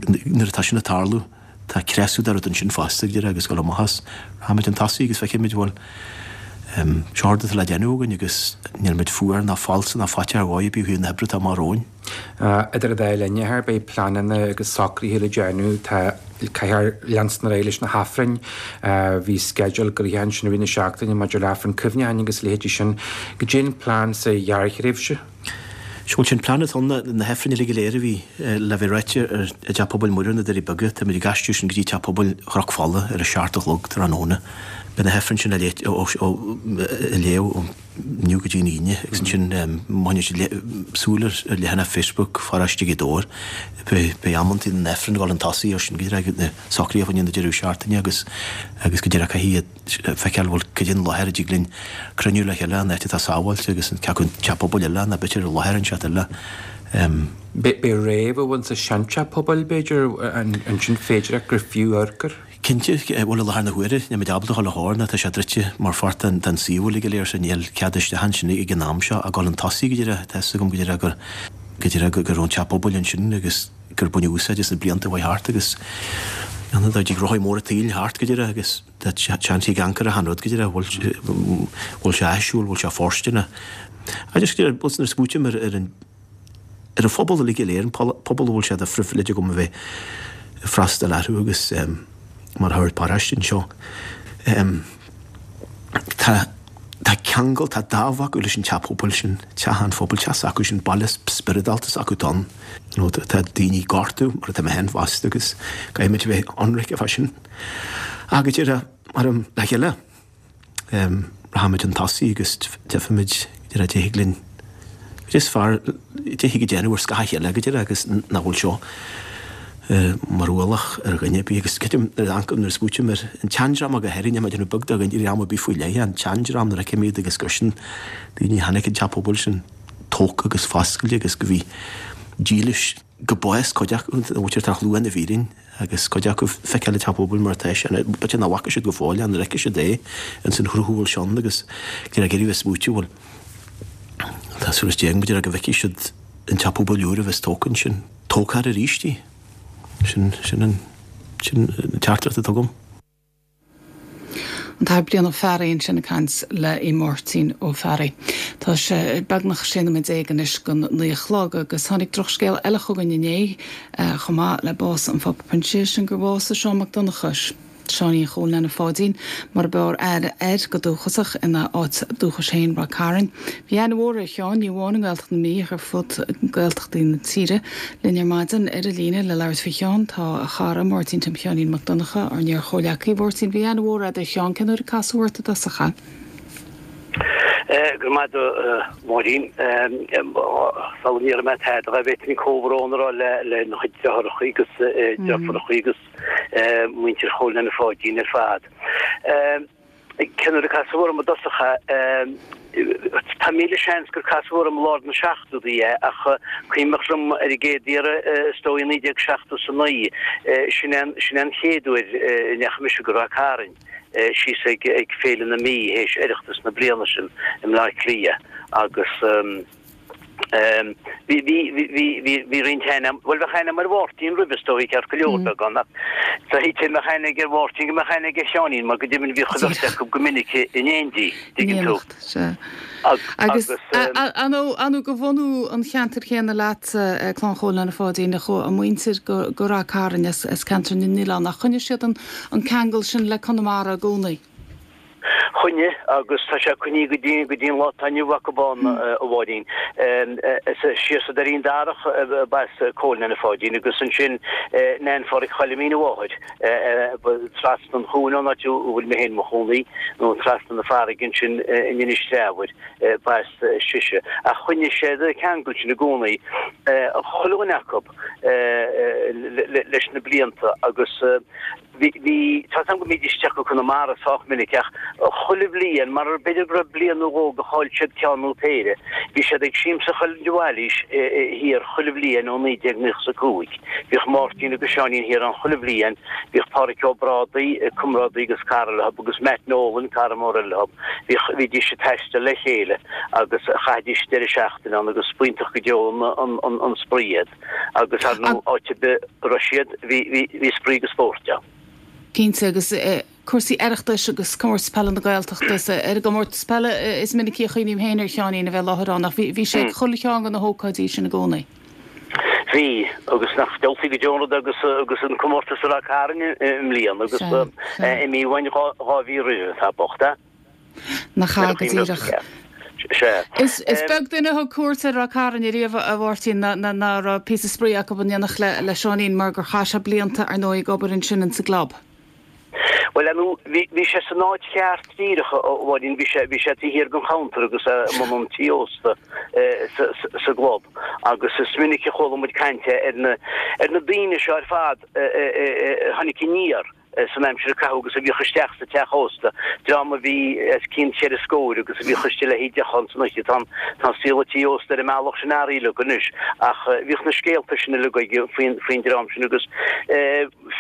nuair atá sin ag tarlú, tá creasadh de rud ansin fosta, go díreach, agus dul amach as. Rachaimid chun tosaigh agus feicfimid, bhuel, seo rud atá le déanamh againn agus níl muid fuar ná falsa ná faiteach ar dhóigh ar bith ó thaobh na hoibre atá amach romhainn. Idir an dá linn, a Athair, beidh pleananna agus socruithe le déanamh. Tá, caithfear leanstan ar aghaidh leis na hAifrinn. Bhí sceideal gnoitheach ansin i rith na seachtaine maidir le Aifreann Cuimhneacháin agus a leithéidí sin. Cad é an plean sa ghearrthréimhse? Sea, bhuel, sé an plean atá ann ná na hAifrinn uilig go léir a bhí le bheith ráite i dTeach Pobail Mhuire, na Doirí Beaga, táimid ag aistriú sin go dtí Teach Pobail Chnoc Fola ar a seacht a chlog tráthnóna. Beidh na hAifrinn sin á léamh ó inniu go dtí an Aoine agus ansin má choinníonn siad súil ar leathanach Facebook Pharóiste Ghaoth Dobhair, beidh amantaí na nAifreann ag dul chun tosaigh ar sin go díreach na socruithe fá choinne na deireadh seachtaine agus agus go díreach caithfidh feiceáil bhfuil cad é an láthair a dtig linn cruinniú le chéile, an áit atá sábháilte agus an cé acu an teach pobail eile nó b'fhéidir láthair inteacht eile. Beidh réabadh insa seanteach pobail, b'fhéidir, ansin féidearthacht gur fiú amharc air. Cinnte, bhuel i láthair na huaire níl muid ábalta a dhul a thóir nó tá sé druidte mar pháirt den suíomh uilig go léir so níl cead isteach ansin ag an am seo ag dul chun tosaigh go díreach, tá fhios agam go díreach gur go díreach go raibh an teach pobail ansin agus gur baineadh úsáid as na blianta a chuaigh thart agus dá dtig rothaí móra an tsaoil thart go díreach agus Tá seans ag amharc ar achan rud go díreach, bhfuil sé áisiúil, bhfuil sé fóirsteanach. Agus go díreach, nuair a smaoitím ar ar an ar an phobal uilig go léir, an pobal a bhfuil sé de phribhléid agam a bheith ag freastal orthu agus mar shagart paróiste anseo, tá tá ceangal, tá dáimh acu leis an teach pobail sin, teach an phobail, teach s'acu sin, baile spioradálta s'acu atá ann. Tá daoine ag gortú mar atá mé féin fosta agus caithfimid a bheith ionraic fá sin. Ach go díreach, mar le chéile, rachaimid chun tosaigh agus tchífimid go díreach cad é thig linn, cad é is fearr, cad é thig a déanamh ar scáth a chéile go díreach agus nach bhfuil seo mar ualach ar dhuine ar bith. Agus creidim nuair a amharcaim, nuair a smaoitím ar an tseandream go háirithe, níl mé ag déanamh beag de dhream ar bith faoi leith, an tseandream nuair a fheicim iad agus gur sin daoine a chonaic an teach pobail sin tógtha agus foscailte agus go bhí dílis go bás cuid acu, an mhuintir atá luath na bhfírinne agus cuid acu feiceáil an teach pobail mar atá sé, b'fhéidir nach bhfaca siad go fóill é, nuair a fheicfidh siad é ins an chruth a bhfuil sé ann agus ag iarraidh bheith smaoitiú bhuel tá súil is déag b'fhéidir go bhfeicfidh siad an teach pobail úr a bheas tógtha ansin, tógfar arís í. Sin, sin an, sin an teachtaireacht atá agam. An tAthair Brian Ó Fearraigh ansin ag caint le Máirtín Ó Fearraigh. Tá sé beagnach 16 nóiméad anois don 9 a chlog agus tháinig drochscéal eile chugainn inné chomh maith le bás an Phápa Proinsiais, sin gur bhásaigh Seán Mac Donnchais. Seáinín Chóil Nana Pháidín, mar a b'fhearr aithne air go dúchasach ina áit dúchais féin, Ráth Cairn. Bhí aithne mhór ar Sheán, ní amháin i nGaeltacht na Mí ach ar fud Gaeltachtaí na tíre. Linn ar maidin ar an líne le labhairt faoi Sheán tá a chara, Máirtín Tim Sheáinín Mac Donncha, ár n-iar-chomhleacaí. A Mháirtín, bhí aithne mhór agat ar Sheán, cén uair a casadh ort i dtosach é? Go raibh maith agat, a Mháirín. Sula ndéarfaidh mé tada, b'fhéidir comhbhrón a rá lena chuid deartháireacha agus deirfiúracha agus muintir Chóil Nana Pháidín ar fad. Cén uair a casadh orm i dtosach é? Tá míle seans gur casadh orm i lár na seachtóidí é ach cuimhneach liom ar an gcéad iarraidh is dóigh i 1979. Sin é an chéad uair a ndeachaigh mise go Ráth Cairn síos ag Féile na Mí théis Oireachtas na bliana sin i mBleá Cliath agus Bhí, bhí, bhí, bhí, bhí roinnt aithne, bhuel bheadh aithne agam ar Mháirtín roimhe is dóigh ceart go leor beagán ach dá dtí mbeadh aithne ag ar Mháirtín go mbeadh aithne aige ar Sheáinín mar go deimhin bhíodh an bheirt acu go minic in éindí, dtuigeann tú. Sea. Agus an de bhunú an cheantair chéanna leat, Clann Chóil Nana Pháidín, a chuaigh a muintir go Ráth Cairn as ceantar na nOileán ach choinnigh siad an ceangal sin le Conamara i gcónaí. Choinnigh, agus tá sé coinnithe go dtí go dtí an lá atá inniu acu ann, a Mháirín. Is síos sa Doirín Darach ab as Cóil Nana Pháidín agus ansin Nan Pháraic Choilimín a mháthair, trasna an chuain ón áit a bhfuil mé féin i mo chónaí, nó trasna na farraige ansin in Inis Treabhair, ba as sise. Ach choinnigh siad an ceangal sin i gcónaí, chuile dhuine acu, leis na blianta agus. Bhí, tá 's agam go mbídís isteach go Conamara sách minic ach chuile bhliain, mar b'fhéidir go raibh bliain nó dhó go chaill siad ceann nó péire, bhí siad ag siamsa Choill de Bhailís thiar chuile bhliain ó 1995. Bhíodh Máirtín agus Seáinín thiar ann chuile bhliain, bhíodh Pádhraic Ó Brádaigh, comrádaí agus cara leo agus Matt Nolan, cara mór eile leo. Bhíodh, bhídís ag taisteal le chéile agus chaithidís deireadh seachtaine ann agus b'iontach go deo an spraoi iad. Agus ar ndóigh, áit ar bith a raibh siad, bhí spraoi agus spórt ann. Cinnte, agus cúrsaí Oireachtais agus Comórtas Peile na Gaeltachta, is ar an gcomórtas peile is minicí a chuimhním féin ar Sheáinín a bheith i láthair ann, ach bhí sé ag chuile cheann de na hócáidí sin i gcónaí. Bhí, agus nach diabhaltaí go deo an rud agus agus an comórtas i Ráth Cairn i mbliana agus imithe uainn dhá mhí roimhe, tá bocht, eh? Nach ea go díreach. Is beag duine a thug cuairt ar Ráth Cairn ariamh, a Mháirtín, ná raibh píosa spraoi acu in éineacht le Seáinín mar gur chaith sé blianta, ar ndóigh, ag obair ansin insa gclub. Bhuel, ar ndóigh, bhí sé san áit cheart díreach, a Mháirín, bhí sé, bhí sé taobh thiar den chuntar agus i mbun an tí ósta sa gclub agus is minic a chuala muid caint ar na, ar na daoine seo ar fad a tháinig aniar. san aimsir a caitheadh agus a bhíodh isteach sa teach ósta, dream a bhí os cionn cheithre scóir agus a bhíodh istigh le haghaidh deoch ann san oíche. Tá an saol ag tí ósta ar an mbealach sin athraithe uilig anois ach bhíodh na scéalta sin uilig aige faoin faoin dream sin agus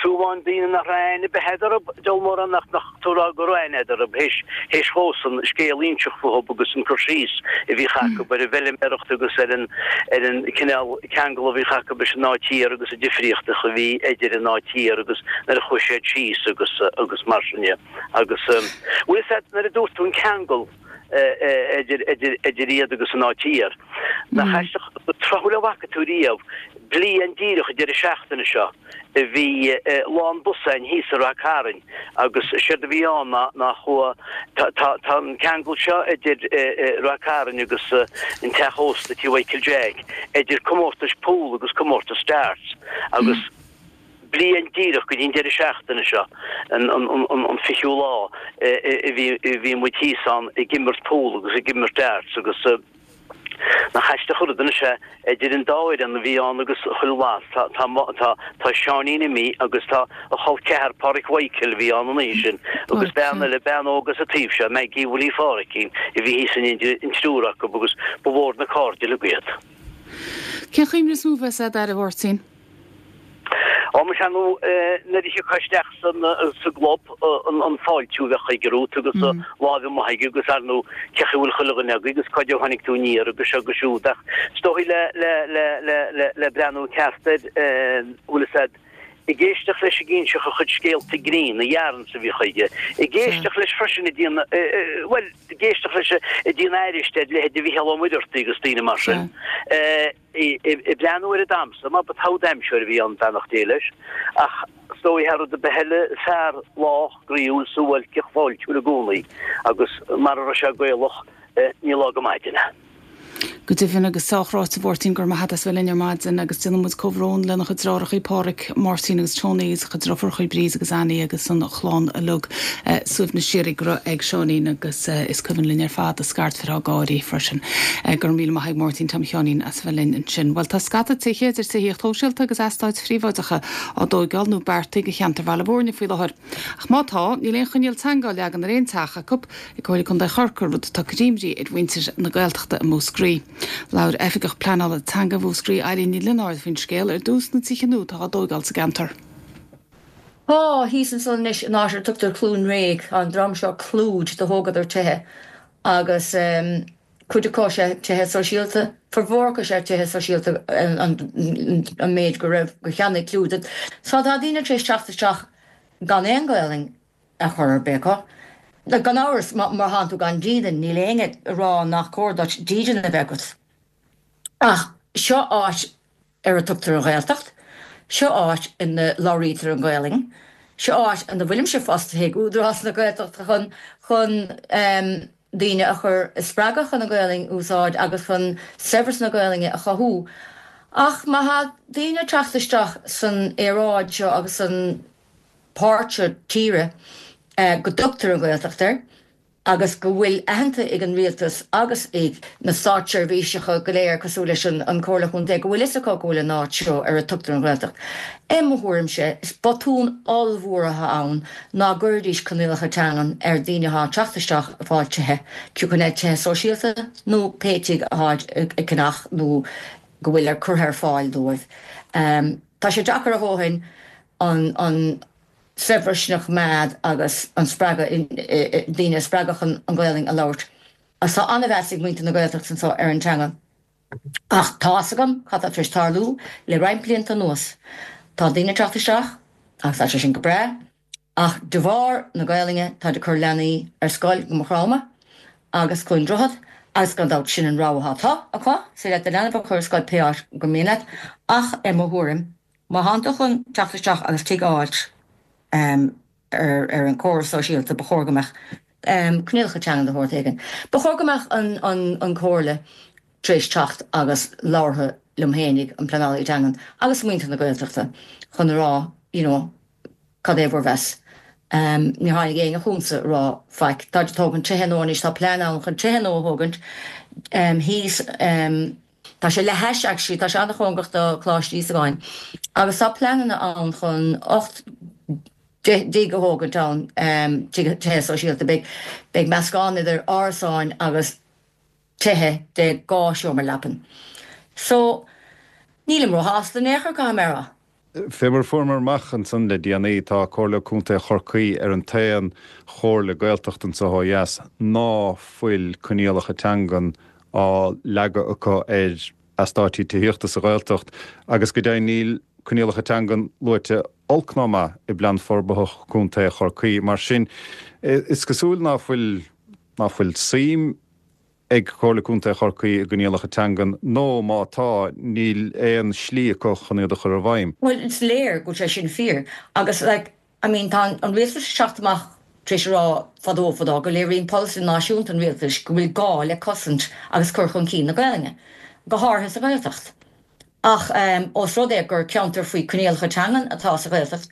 fiú amháin daoine nach raibh aithne ar bith agat orthu, diabhal mórán nach nach tú rá go raibh aithne agat orthu théis théis dhósan scéal a inseacht fúthu agus an cur síos a bhíodh acu ar an bhfeilméaracht agus ar an ar an cineál ceangal a bhíodh acu leis an áit thiar agus an difríocht a bhí idir an áit thiar agus nuair a chuaigh siad síos agus agus mar sin de. Agus bhfuil fhios agat nuair a dúirt tú an ceangal idir idir idir iad agus an áit thiar, nach aisteach tráthúil a bhfaca tú riamh bliain díreach an deireadh seachtaine seo a bhí lán bus againn thíos i Rath Cairn agus séard a bhí ann ná ná chuaigh tá tá tá an ceangal seo idir Rath Cairn agus an teach ósta Tí Mhichael Jack idir comórtais pool agus comórtas darts agus bliain díreach go dtí an deireadh seachtaine seo an an an an fichiú lá a bhí a bhí muid thíos ann ag imirt pool agus ag imirt darts agus Nach aisteach an rud anois é, idir an dá fhoireann a bhí ann agus chuile lá, tá, tá, tá, tá Seáinín imithe agus tá a chol ceathar Páraic Mhichael a bhí ann an oíche sin agus bean eile, bean óg as an taobh seo, Maggie Willie Pháraic, a bhí thíos in éindí an triúr acu agus ba mhór na cairde uilig iad. Cén chuimhne is mó a bheas agat air, a Mháirtín? Ó, muise ar ndóigh, nuair a thiocfá isteach sa gclub, an fáiltiú a bheadh aige romhat agus lámh amuigh aige agus ar ndóigh, cé chaoi a bhfuil chuile dhuine agaibh agus cá dté a tháinig tú aniar agus seo agus siúd. Ach is dóigh le breathnú ceart air, bhfuil fhios a'd. Ag éisteacht leis ag inseacht a chuid scéalta grinn, na yarns a bhíodh aige. Ag éisteacht leis freisin ag déanamh, bhuel, ag éisteacht leis ag déanamh aithris ar leithéid Mhícheál Ó Muircheartaigh agus daoine mar sin. Ag breathnú ar an damhsa, mar ba togha damhsóir a bhí ann, beannacht Dé leis. Ach is dóigh thar rud ar bith eile, fear lách, groíúil, suáilceach, fáiltiúil i gcónaí agus mara raibh sé Gaelach, ní lá go maidin é. Go deimhin, agus sách ráite a Mháirtín, go raibh maith agat as bheith linn ar maidin agus déanann muid comhbhrón lena chuid deartháireacha Páraic, Máirtín agus Tony agus a chuid deirfiúracha Bríd agus Annie agus an chlann uilig. Suaimhneas síoraí go raibh ag Seáinín agus is cuimhin linn ar fad a scairtfheartha gáirí freisin. Go raibh míle maith ag Máirtín Tom Sheáinín as a bheith linn ansin. Bhuel tá scata tithe, idir tithíocht shóisialta agus eastáit phríobháideacha, á dtóigeáil nó beartaithe do cheantar Bhaile Mhúirne faoi láthair. Ach má tá, níl aon choinníoll teanga á leagan ar aon teach acu ag Comhairle Contae Chorcaí, rud atá ag cur imní ar mhuintir na Gaeltachta i Múscraí. Labhair Oifigeach Pleanála Teanga Mhúscraí, Eileen Ní Lionáird faoin scéal ar dtús, na tithe nua atá á dtóigeáil sa gceantar. Tá, thíos ansan anois in áit ar a tugtar Cluain Réidh, tá an dream seo Clúid, do thógadar tithe agus cuid acu is ea tithe sóisialta, formhór acu is ea tithe sóisialta an méid go raibh, gur cheannaigh Clúid iad. So tá daoine tar éis teacht isteach gan aon Ghaelainn ar chor ar bith acu. Gan amhras, má thánn tú gan dídean, níl éinne ag rá nach cóir duit dídean a bheith agat. Ach seo áit ar a tugtar an Ghaeltacht, seo áit ina labhraítear an Ghaelainn, seo áit ina bhfuilimse fostaithe ag Údarás na Gaeltachta chun chun daoine a chur a spreagadh chun an Ghaelainn a úsáid agus chun saibhreas na Gaelainne a chothú. Ach má thá daoine ag teacht isteach san aeráid seo agus san páirt seo tíre go dtugtar an Ghaeltacht air agus go bhfuil aitheanta ag an rialtas agus ag na státseirbhíseacha go léir cosúil leis an Chomhairle Chontae go bhfuil fhios acu go bhfuil an áit seo ar a tugtar an Ghaeltacht. I mo thuairimse, is botún ollmhór atá ann ná gcuirfidís coinníollacha teangan ar daoine atá ag teacht isteach ag fáil tithe, cibé an tithe sóisialta nó pé tigh atáid ag ceannach nó go bhfuil ar curtha ar fáil dóibh. Tá sé deacair a dhóthain an saibhreas sin a choimeád agus an spreagadh, daoine a spreagadh chun an Ghaelainn a labhairt. Agus tá an-mheas ag muintir na Gaeltachta anseo ar an teanga. Ach tá fhios agam cad tá tar éis tarlú le roinnt blianta anuas. Tá daoine ag teacht isteach agus tá sé sin go breá, ach de bharr na Gaelainne táid ag cur leanaí ar scoil go Maigh Chromtha agus Cluain Droichead agus gan dabht sin an rogha atá acu, is féidir leat do leanbh a chur ar scoil pé áit gur mian leat ach i mo thuairim Má thánn tú chun teacht isteach agus tigh a fháilt ar an córas sóisialta, ba chóir go mbeadh coinníollacha teangan de shórt éigin. Ba chóir go mbeadh an Chomhairle tar éis teacht agus labhartha liom fhéinig, an pleanálaí teangan, agus muintir na Gaeltachta chun a rá you know cad é bhur mheas. Níor tháinig éinne chugamsa a rá faic. Táid ag tógaint tithe nua anois, tá plean ann chun tithe nua a thógaint thíos. Tá sé le hais actually, tá sé an-chóngarach do Choláiste Íosagáin agus tá pleananna ann chun 8 dtigh a thógaint ann, tithe sóisialta. Beidh, beidh meascán idir árasáin agus tithe de 2 seomra leapan. So, nílim róshásta in aon chor, caithfidh mé a rá. Fé mar a fuaireamar amach ansan le déanaí, tá Comhairle Contae Chorcaí ar an t-aon chomhairle Gaeltachta anso ó dheas ná fuil coinníollacha teangan á leagadh acu ar eastáití tithíochta sa Ghaeltacht agus go deimhin níl coinníollacha teangan luaite olc ná maith i bPlean Forbartha Contae Chorcaí. Mar sin, is cosúil ná fuil ná fuil suim ag Comhairle Contae Chorcaí i gcoinníollacha teangan nó má tá, níl aon slí acu chun iad a chur i bhfeidhm. Bhuel, is léir go bhfuil sé sin fíor agus like, I mean tá an rialtas ag teacht amach tar éis a rá fadó fadó go léiríonn polasaí náisiúnta an rialtais go bhfuil gá le cosaint agus cur chun cinn na Gaelainne, go háirithe sa Ghaeltacht. Ach ós rud é gur ceantar faoi coinníollacha teangan atá sa Ghaeltacht,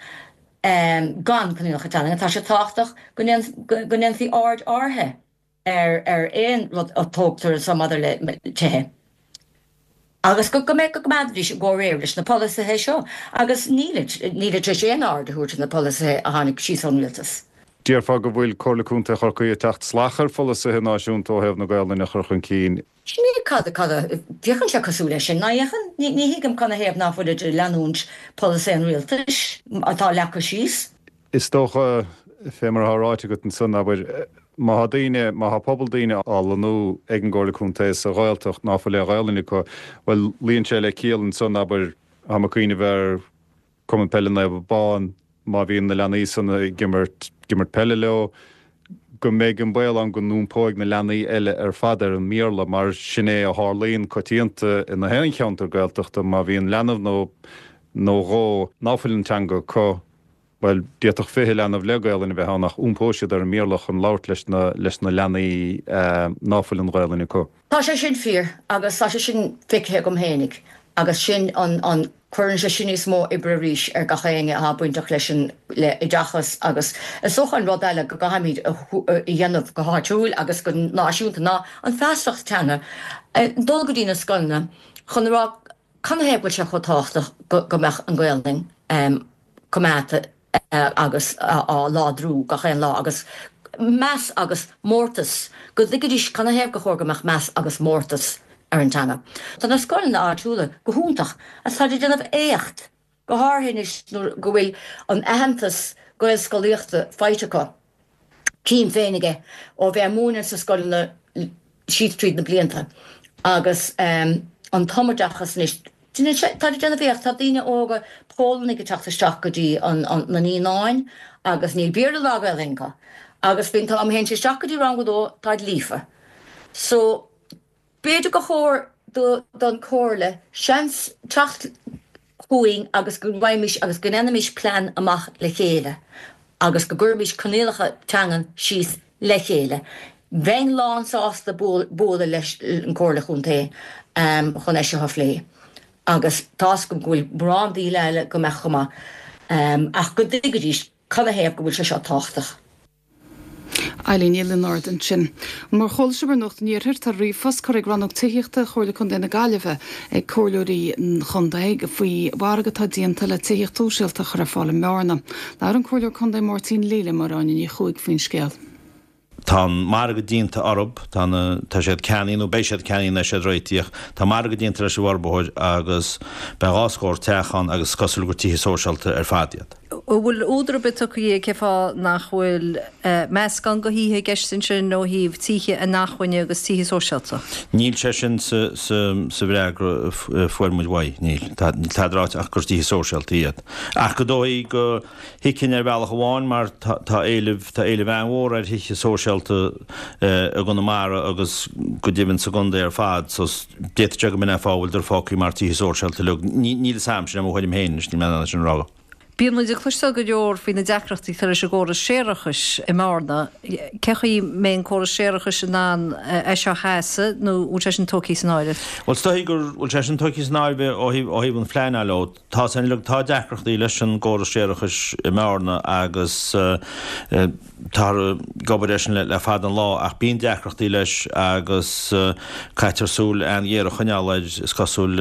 gan coinníollacha teangan, tá sé tábhachtach go ndéanfaí aird áirithe ar ar aon rud a tógtar anseo maidir le tithe agus go go mbeadh go gcoimeádfaidís i gcomhréir leis na polasaithe seo agus nílid nílid tar éis aon aird a thabhairt ar na polasaithe a tháinig síos ón rialtas. Déarfá go bhfuil Comhairle Contae Chorcaí ag teacht salach ar pholasaithe náisiúnta ó thaobh na Gaolainne a chur chun cinn. Sin é cad cad a féachann sé cosúil leis sin, ná fhéachann? Ní ní thuigim canathaobh ná fuilid ag leanúint polasaí an rialtais atá leagtha síos. Is dócha, fé mar atá ráite agat ansan, abair, má thá daoine, má thá pobal daoine á lonnú ag an gComhairle Contae sa Ghaeltacht ná fuil aon Ghaelainn acu, bhuel, luíonn sé le ciall ansan, abair, táim ag cuimhneamh ar. Cumann Peile Naomh Abán, má bhíonn na leanaí san ag imirt, ag imirt peile leo, go mbeidh an baol ann go n-iompóidh na leanaí eile ar fad ar an mBéarla, mar sin é a tharlaíonn coitianta in aon cheantar Gaeltachta, má bhíonn leanbh nó nó dhó ná fuil an teanga acu, bhuel, d'fhéadfadh 20 leanbh le Gaolainn a bheith ann ach iompóidh siad ar an mBéarla chun labhairt leis na leis na leanaí ná fuil an Ghaolainn acu. Tá sé sin fíor agus tá sé sin feicthe agam fhéinig agus sin an an cuireann sé sin níos mó oibre arís ar gach éinne atá bainteach leis an le oideachas agus is dócha an rud eile go gcaithfimid a dhéanamh go háitiúil agus go náisiúnta ná an feasacht teanga dul go dtí na scoileanna chun a rá canathaobh go bhfuil sé chomh tábhachtach go mbeadh an Ghaelainn coimeádta agus á láidriú gach aon lá agus meas agus mórtas, go dtuigfidís canathaobh gur chóir go mbeadh meas agus mórtas ar an teanga. Tá na scoileanna áitiúla go hiontach agus táid ag déanamh éacht, go háirithe anois nuair go bhfuil an aitheantas Gaelscolaíochta faighte acu. Tchím féinig é ó bheith ag múineadh sna scoileanna síos tríd na blianta agus an tumoideachas anois. Táid ag déanamh éacht, tá daoine óga Pólannaigh ag teacht isteach go dtí na naíonáin agus níl Béarla ná Gaelainn acu agus faoin t-am a théann siad isteach go dtí rang a dó táid líofa. So b'fhéidir gur chóir don Chomhairle seans teacht chugainn agus go raghaimís agus go ndéanfaimis plean amach le chéile agus go gcuirfimís coinníollacha teangan síos le chéile. Bheinn lán sásta bualadh leis an Comhairle Chontae chun é seo a phlé agus tá's agam go bhfuil mórán daoine eile go mbeadh chomh maith ach go dtuigfidís canathaobh go bhfuil sé seo tábhachtach. Eileen Ní Lionáird ansin. Mar a chuala sibh ar Nuacht an Iarthair, tá ríomhphost curtha ag Rannóg Tithíochta Chomhairle Contae na Gaillimhe ag comhairleoirí an chontae faoi mhargadh atá déanta le tithíocht shóisialta a chur ar fáil i mBearna. Labhair an Comhairleoir Contae Máirtín Lee le Máire Áine Ní Chuaig faoin scéal. Tá an margadh déanta orthu, tá na, tá siad ceannaithe nó beidh siad ceannaithe nuair siad réitithe. Tá margadh déanta leis an bhforbarthóir agus beidh 2 scór teach ann agus is cosúil gur tithe sóisialta ar fad iad. An bhfuil údar ar bith tugtha cén fáth nach bhfuil meascán de thithe i gceist ansin ó thaobh tithe inacmhainne agus tithe sóisialta? Níl sé sin sa bhfreagra a fuair muid uaidh, níl. Níl tada ráite ach gur tithe sóisialta iad. Ach go dóigh go thuigfinn ar bhealach amháin mar tá éileamh, tá éileamh an-mhór ar thithe sóisialta i gConamara agus go deimhin sa gcontae ar fad so d'fhéadfadh sé go mb'in é an fáth a bhfuileadar fágtha mar tithe sóisialta uilig. Níl fhios a'm, sin é mo thuairim féin anois, níl mé in ann é sin a rá. Bíonn muid ag cloisteáil go leor faoi na deacrachtaí atá leis an gcóras séarachais i mBearna. Cén chaoi a mbeidh an córas séarachais in ann é seo a sheasamh nó an bhfuil sé sin tógtha san áireamh? Bhuel, is dóigh go bhfuil sé sin tógtha san áireamh ó thaobh an phleanáil ó. Tá san uilig, tá deacrachtaí leis an gcóras séarachais i mBearna agus táthar ag obair air sin le fada an lá ach bíonn deacrachtaí leis agus caitear súil an-ghéar a choinneáil air is cosúil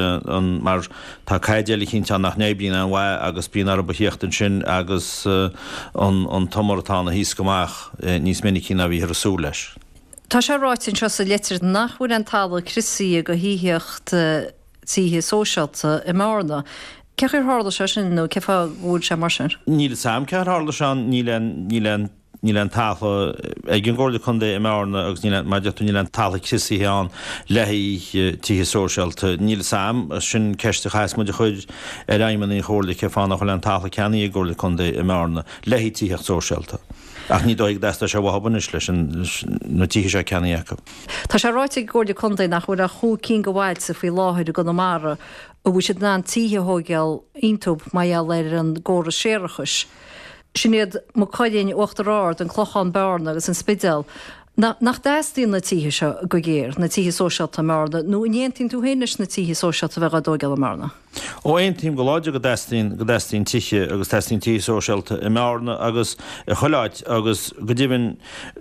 mar tá caidéal eicínt ann nach n-oibríonn an-mhaith agus bíonn orthu a thíocht ansin agus an t-umar atá ann a thaoscadh amach níos minicí ná bhíothar ag súil leis. Tá sé ráite anseo sa litir nach bhfuil aon talamh criosaithe do thithíocht tithe sóisialta i mBearna. Cén chaoi ar tharla sé sin nó cén fáth go bhfuil sé mar sin? Níl fhios a'm cén chaoi ar tharla sé, níl aon, níl aon, níl aon talamh ag an gComhairle Contae i mBearna agus níl aon, mar a deir tú, níl aon talamh criosaithe ann le haghaidh tithe sóisialta. Níl fhios a'm, sin ceist a chaithfeas muid a chur ar fheidhmeannaigh an Chomhairle cén fáth nach bhfuil aon talamh ceannaithe ag an gComhairle Contae i mBearna le haghaidh tithíocht sóisialta. Ach ní dóigh go dteastóidh sé uathu anois leis na tithe seo ceannaithe acu. Tá sé ráite ag an gComhairle Contae nach bhfuil ach chúig cinn de bhailte faoi láthair i gConamara a bhfuil siad in ann tithe a thóigeáil iontu mar gheall ar an gcóras séarachais. Sin iad Maigh Cuilinn, Uachtar Ard, An Clochán, Bearna agus An Spidéal. Nach dteastaíonn na tithe seo go géar, na tithe sóisialta i mBearna, nó an aontaíonn tú féin leis na tithe sóisialta a bheith á dtóigeáil i mBearna? Ó aontaím go láidir go dteastaíonn, go dteastaíonn tithe agus teastaíonn tithe sóisialta i mBearna agus i chuile áit agus go deimhin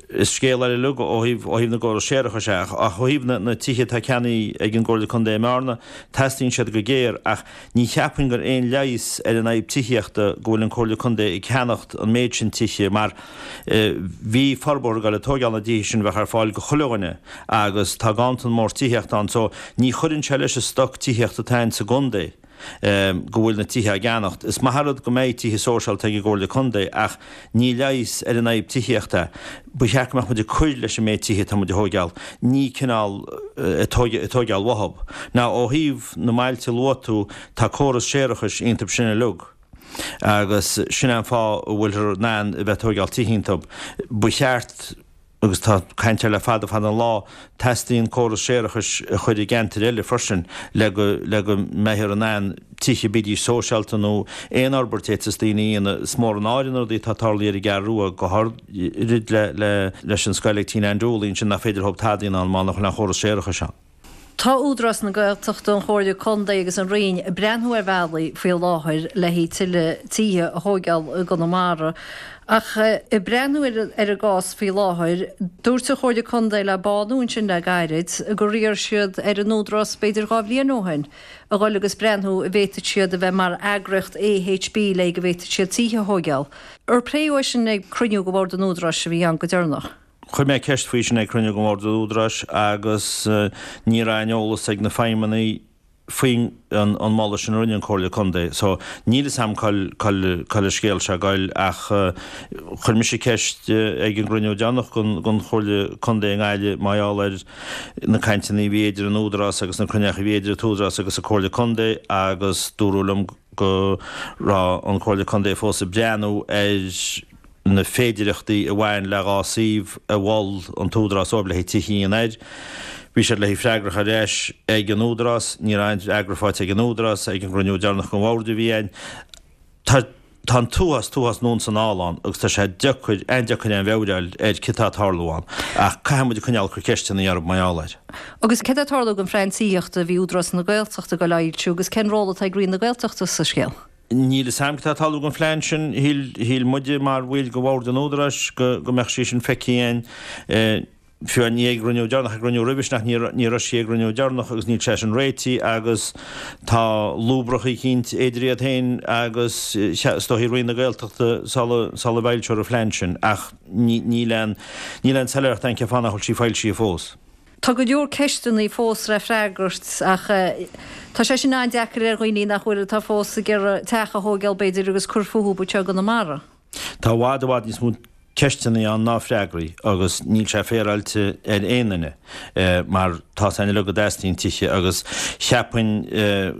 is scéal eile uilig ó thaobh, ó thaobh na gcóras séarachais é ach, ach ó thaobh na, na tithe atá ceannaithe ag an gComhairle Contae i mBearna, teastaíonn siad go géar ach ní cheapfainn gur aon leigheas ar an fhadhb tithíochta go bhfuil an Comhairle Contae ag ceannacht an méid sin tithe mar bhí forbróir ag dul ag tóigeáil na dtithe sin a bheadh ar fáil go chuile dhuine agus tá ganntan mór tithíochta ann so ní chuireann sé leis an stoc tithíochta atá ann sa gcontae go bhfuil na tithe á gceannacht. Is maith an rud go mbeidh tithe sóisialta ag an gComhairle Contae ach ní leigheas ar an fhadhb tithíochta é. Ba cheart go mbeadh muid ag cur leis an méid tithe atá muid a thóigeáil, ní cineál ag tóigeáil uathub. Now ó thaobh na mbailte a luaigh tú, tá córas séarachais iontub sin uilig. Agus sin é an fáth a bhfuilthear in ann a bheith ag tóigeáil tithe iontub. Ba cheart, agus tá caint air le fada fada an lá, teastaíonn córas séarachais a chur i gceantair eile freisin le go le go mbeifear in ann tithe, bídís sóisialta nó aon fhorbairt a fhéadfas daoine a dhéanamh. Is mór an náire na rudaí atá tarlaithe ar an gCeathrú Rua, go háirid le le leis an scoil ag Tina Ann Dooley ansin nach féidir leob tada a dhéanamh ann má nach bhfuil aon chóras séarachais ann. Tá Údarás na Gaeltachta, an Chomhairle Contae agus an Roinn ag breathnú ar bhealaí faoi láthair le haghaidh tuilleadh tithe a thóigeáil i gConamara. Ach ag breathnú ar an gcás faoi láthair, dúirt an Chomhairle Contae le Bánú ansin le gairid gur iarr siad ar an Údarás b'fhéidir 2 bhliain ó shin a dhul agus breathnú an bhféadfadh siad a bheith mar eagraíocht AHB le go bhféadfadh siad tithe a thóigeáil. Ar pléadh é sin ag cruinniú de Bhord an Údaráis a bhí ann go deireanach? Chuir mé ceist faoi sin ag cruinniú den Bhord Údaráis agus ní raibh aon eolas ag na feidhmeannaigh faoin an moladh sin a rinne an Comhairle Contae. So níl fhios a'm cá'il cá'il an scéal seo ag goil ach chuir mise ceist ag an gcruinniú deireanach den den Chomhairle Contae i nGaillimh mar gheall ar na cainteanna a bhí idir an Údarás agus na cruinnithe a bhí idir an tÚdarás agus an Comhairle Contae agus dúradh liom go raibh an Comhairle Contae fós ag breathnú ar na féidireachtaí a bhain le 2 suíomh a mhol an tÚdarás dóibh le haghaidh tithe a dhéanamh air. Bhí siad le haghaidh freagra a chur ar ais ag an Údarás. Ní raibh aon fhreagra faighte ag an Údarás ag an gcruinniú deireanach den Bhord a bhí ann. Tá tá an t-uafás t-uafás anonn is anall ann agus tá sé deacair, an-deacair aon mheabhair a fháil ar céard atá ag tarlú ann. Ach caithfidh muid coinneáil ag cur ceisteanna orthu mar gheall air. Agus céard atá ag tarlú don phlean tithíochta a bhí Údarás na Gaeltachta ag dul a fhoilsiú agus cén ról atá ag Roinn na Gaeltachta sa scéal? Níl fhios a'm cad tá ag tarlú don phlean sin. Shíl, shíl muide mar bhaill de Bhord an Údaráis go, go mbeadh sí sin feicthe againn, fiú ní ag an gcruinniú deireanach, ag an gcruinniú roimhe sin ach ní, ní raibh sí ag an gcruinniú deireanach agus níl sé sin réitithe agus tá lúbrach eicínt idir iad féin agus is dóichí Roinn na Gaeltachta sula, sula bhfoilseofar an phlean sin ach ní, níl aon, níl aon soiléireacht ann cén fáth nach bhfuil sí foilsithe fós. Tá go leor ceisteanna fós le freagairt ach tá sé sin an-deacair ar dhaoine nach bhfuil, atá fós ag iarraidh teach a thóigeáil b'fhéidir agus cur fúthu anseo i gConamara. Tá i bhfad, i bhfad níos mó ceisteanna ann ná freagraí agus níl sé féaráilte ar aon duine mar tá 's againn uilig go dteastaíonn tithe agus cheapfainn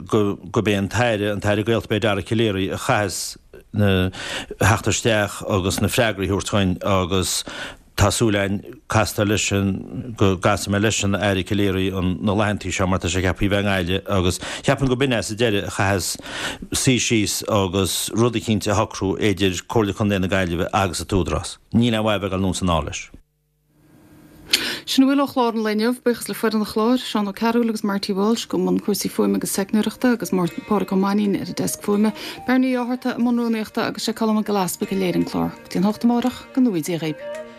go, gurb é an tAire, an tAire Gaeltachta, b'é Dara Calleary a chaithfeas na, theacht isteach agus na freagraí a thabhairt dhuinn agus Tá súil againn castáil leis an, go gcasfaidh mé leis an Aire Calleary an, na laethantaí seo mar tá sé ceaptha a bheith i nGaillimh agus cheapfainn go b'in é sa deireadh a chaithfeas suí síos agus rud eicínt a shocrú idir Comhairle Contae na Gaillimhe agus an tÚdarás. Níl aon mhaith a bheith ag dul anonn is anall leis. Sin a bhfuil ó chlár an lae inniu. Buíochas le foireann an chláir, Seán Ó Cearúil agus Marty Walsh i mbun cúrsaí fuaime agus teicneoireachta agus Pádhraic Ó Mainnín ar an deasc fuaime, Bernie Ó Hátharta i mbun rúnaíochta agus sé Colm Mac Giolla Easpaig a léirigh an clár. Go dtí an 8 amárach, go ngnóthaí Dia dhaoib.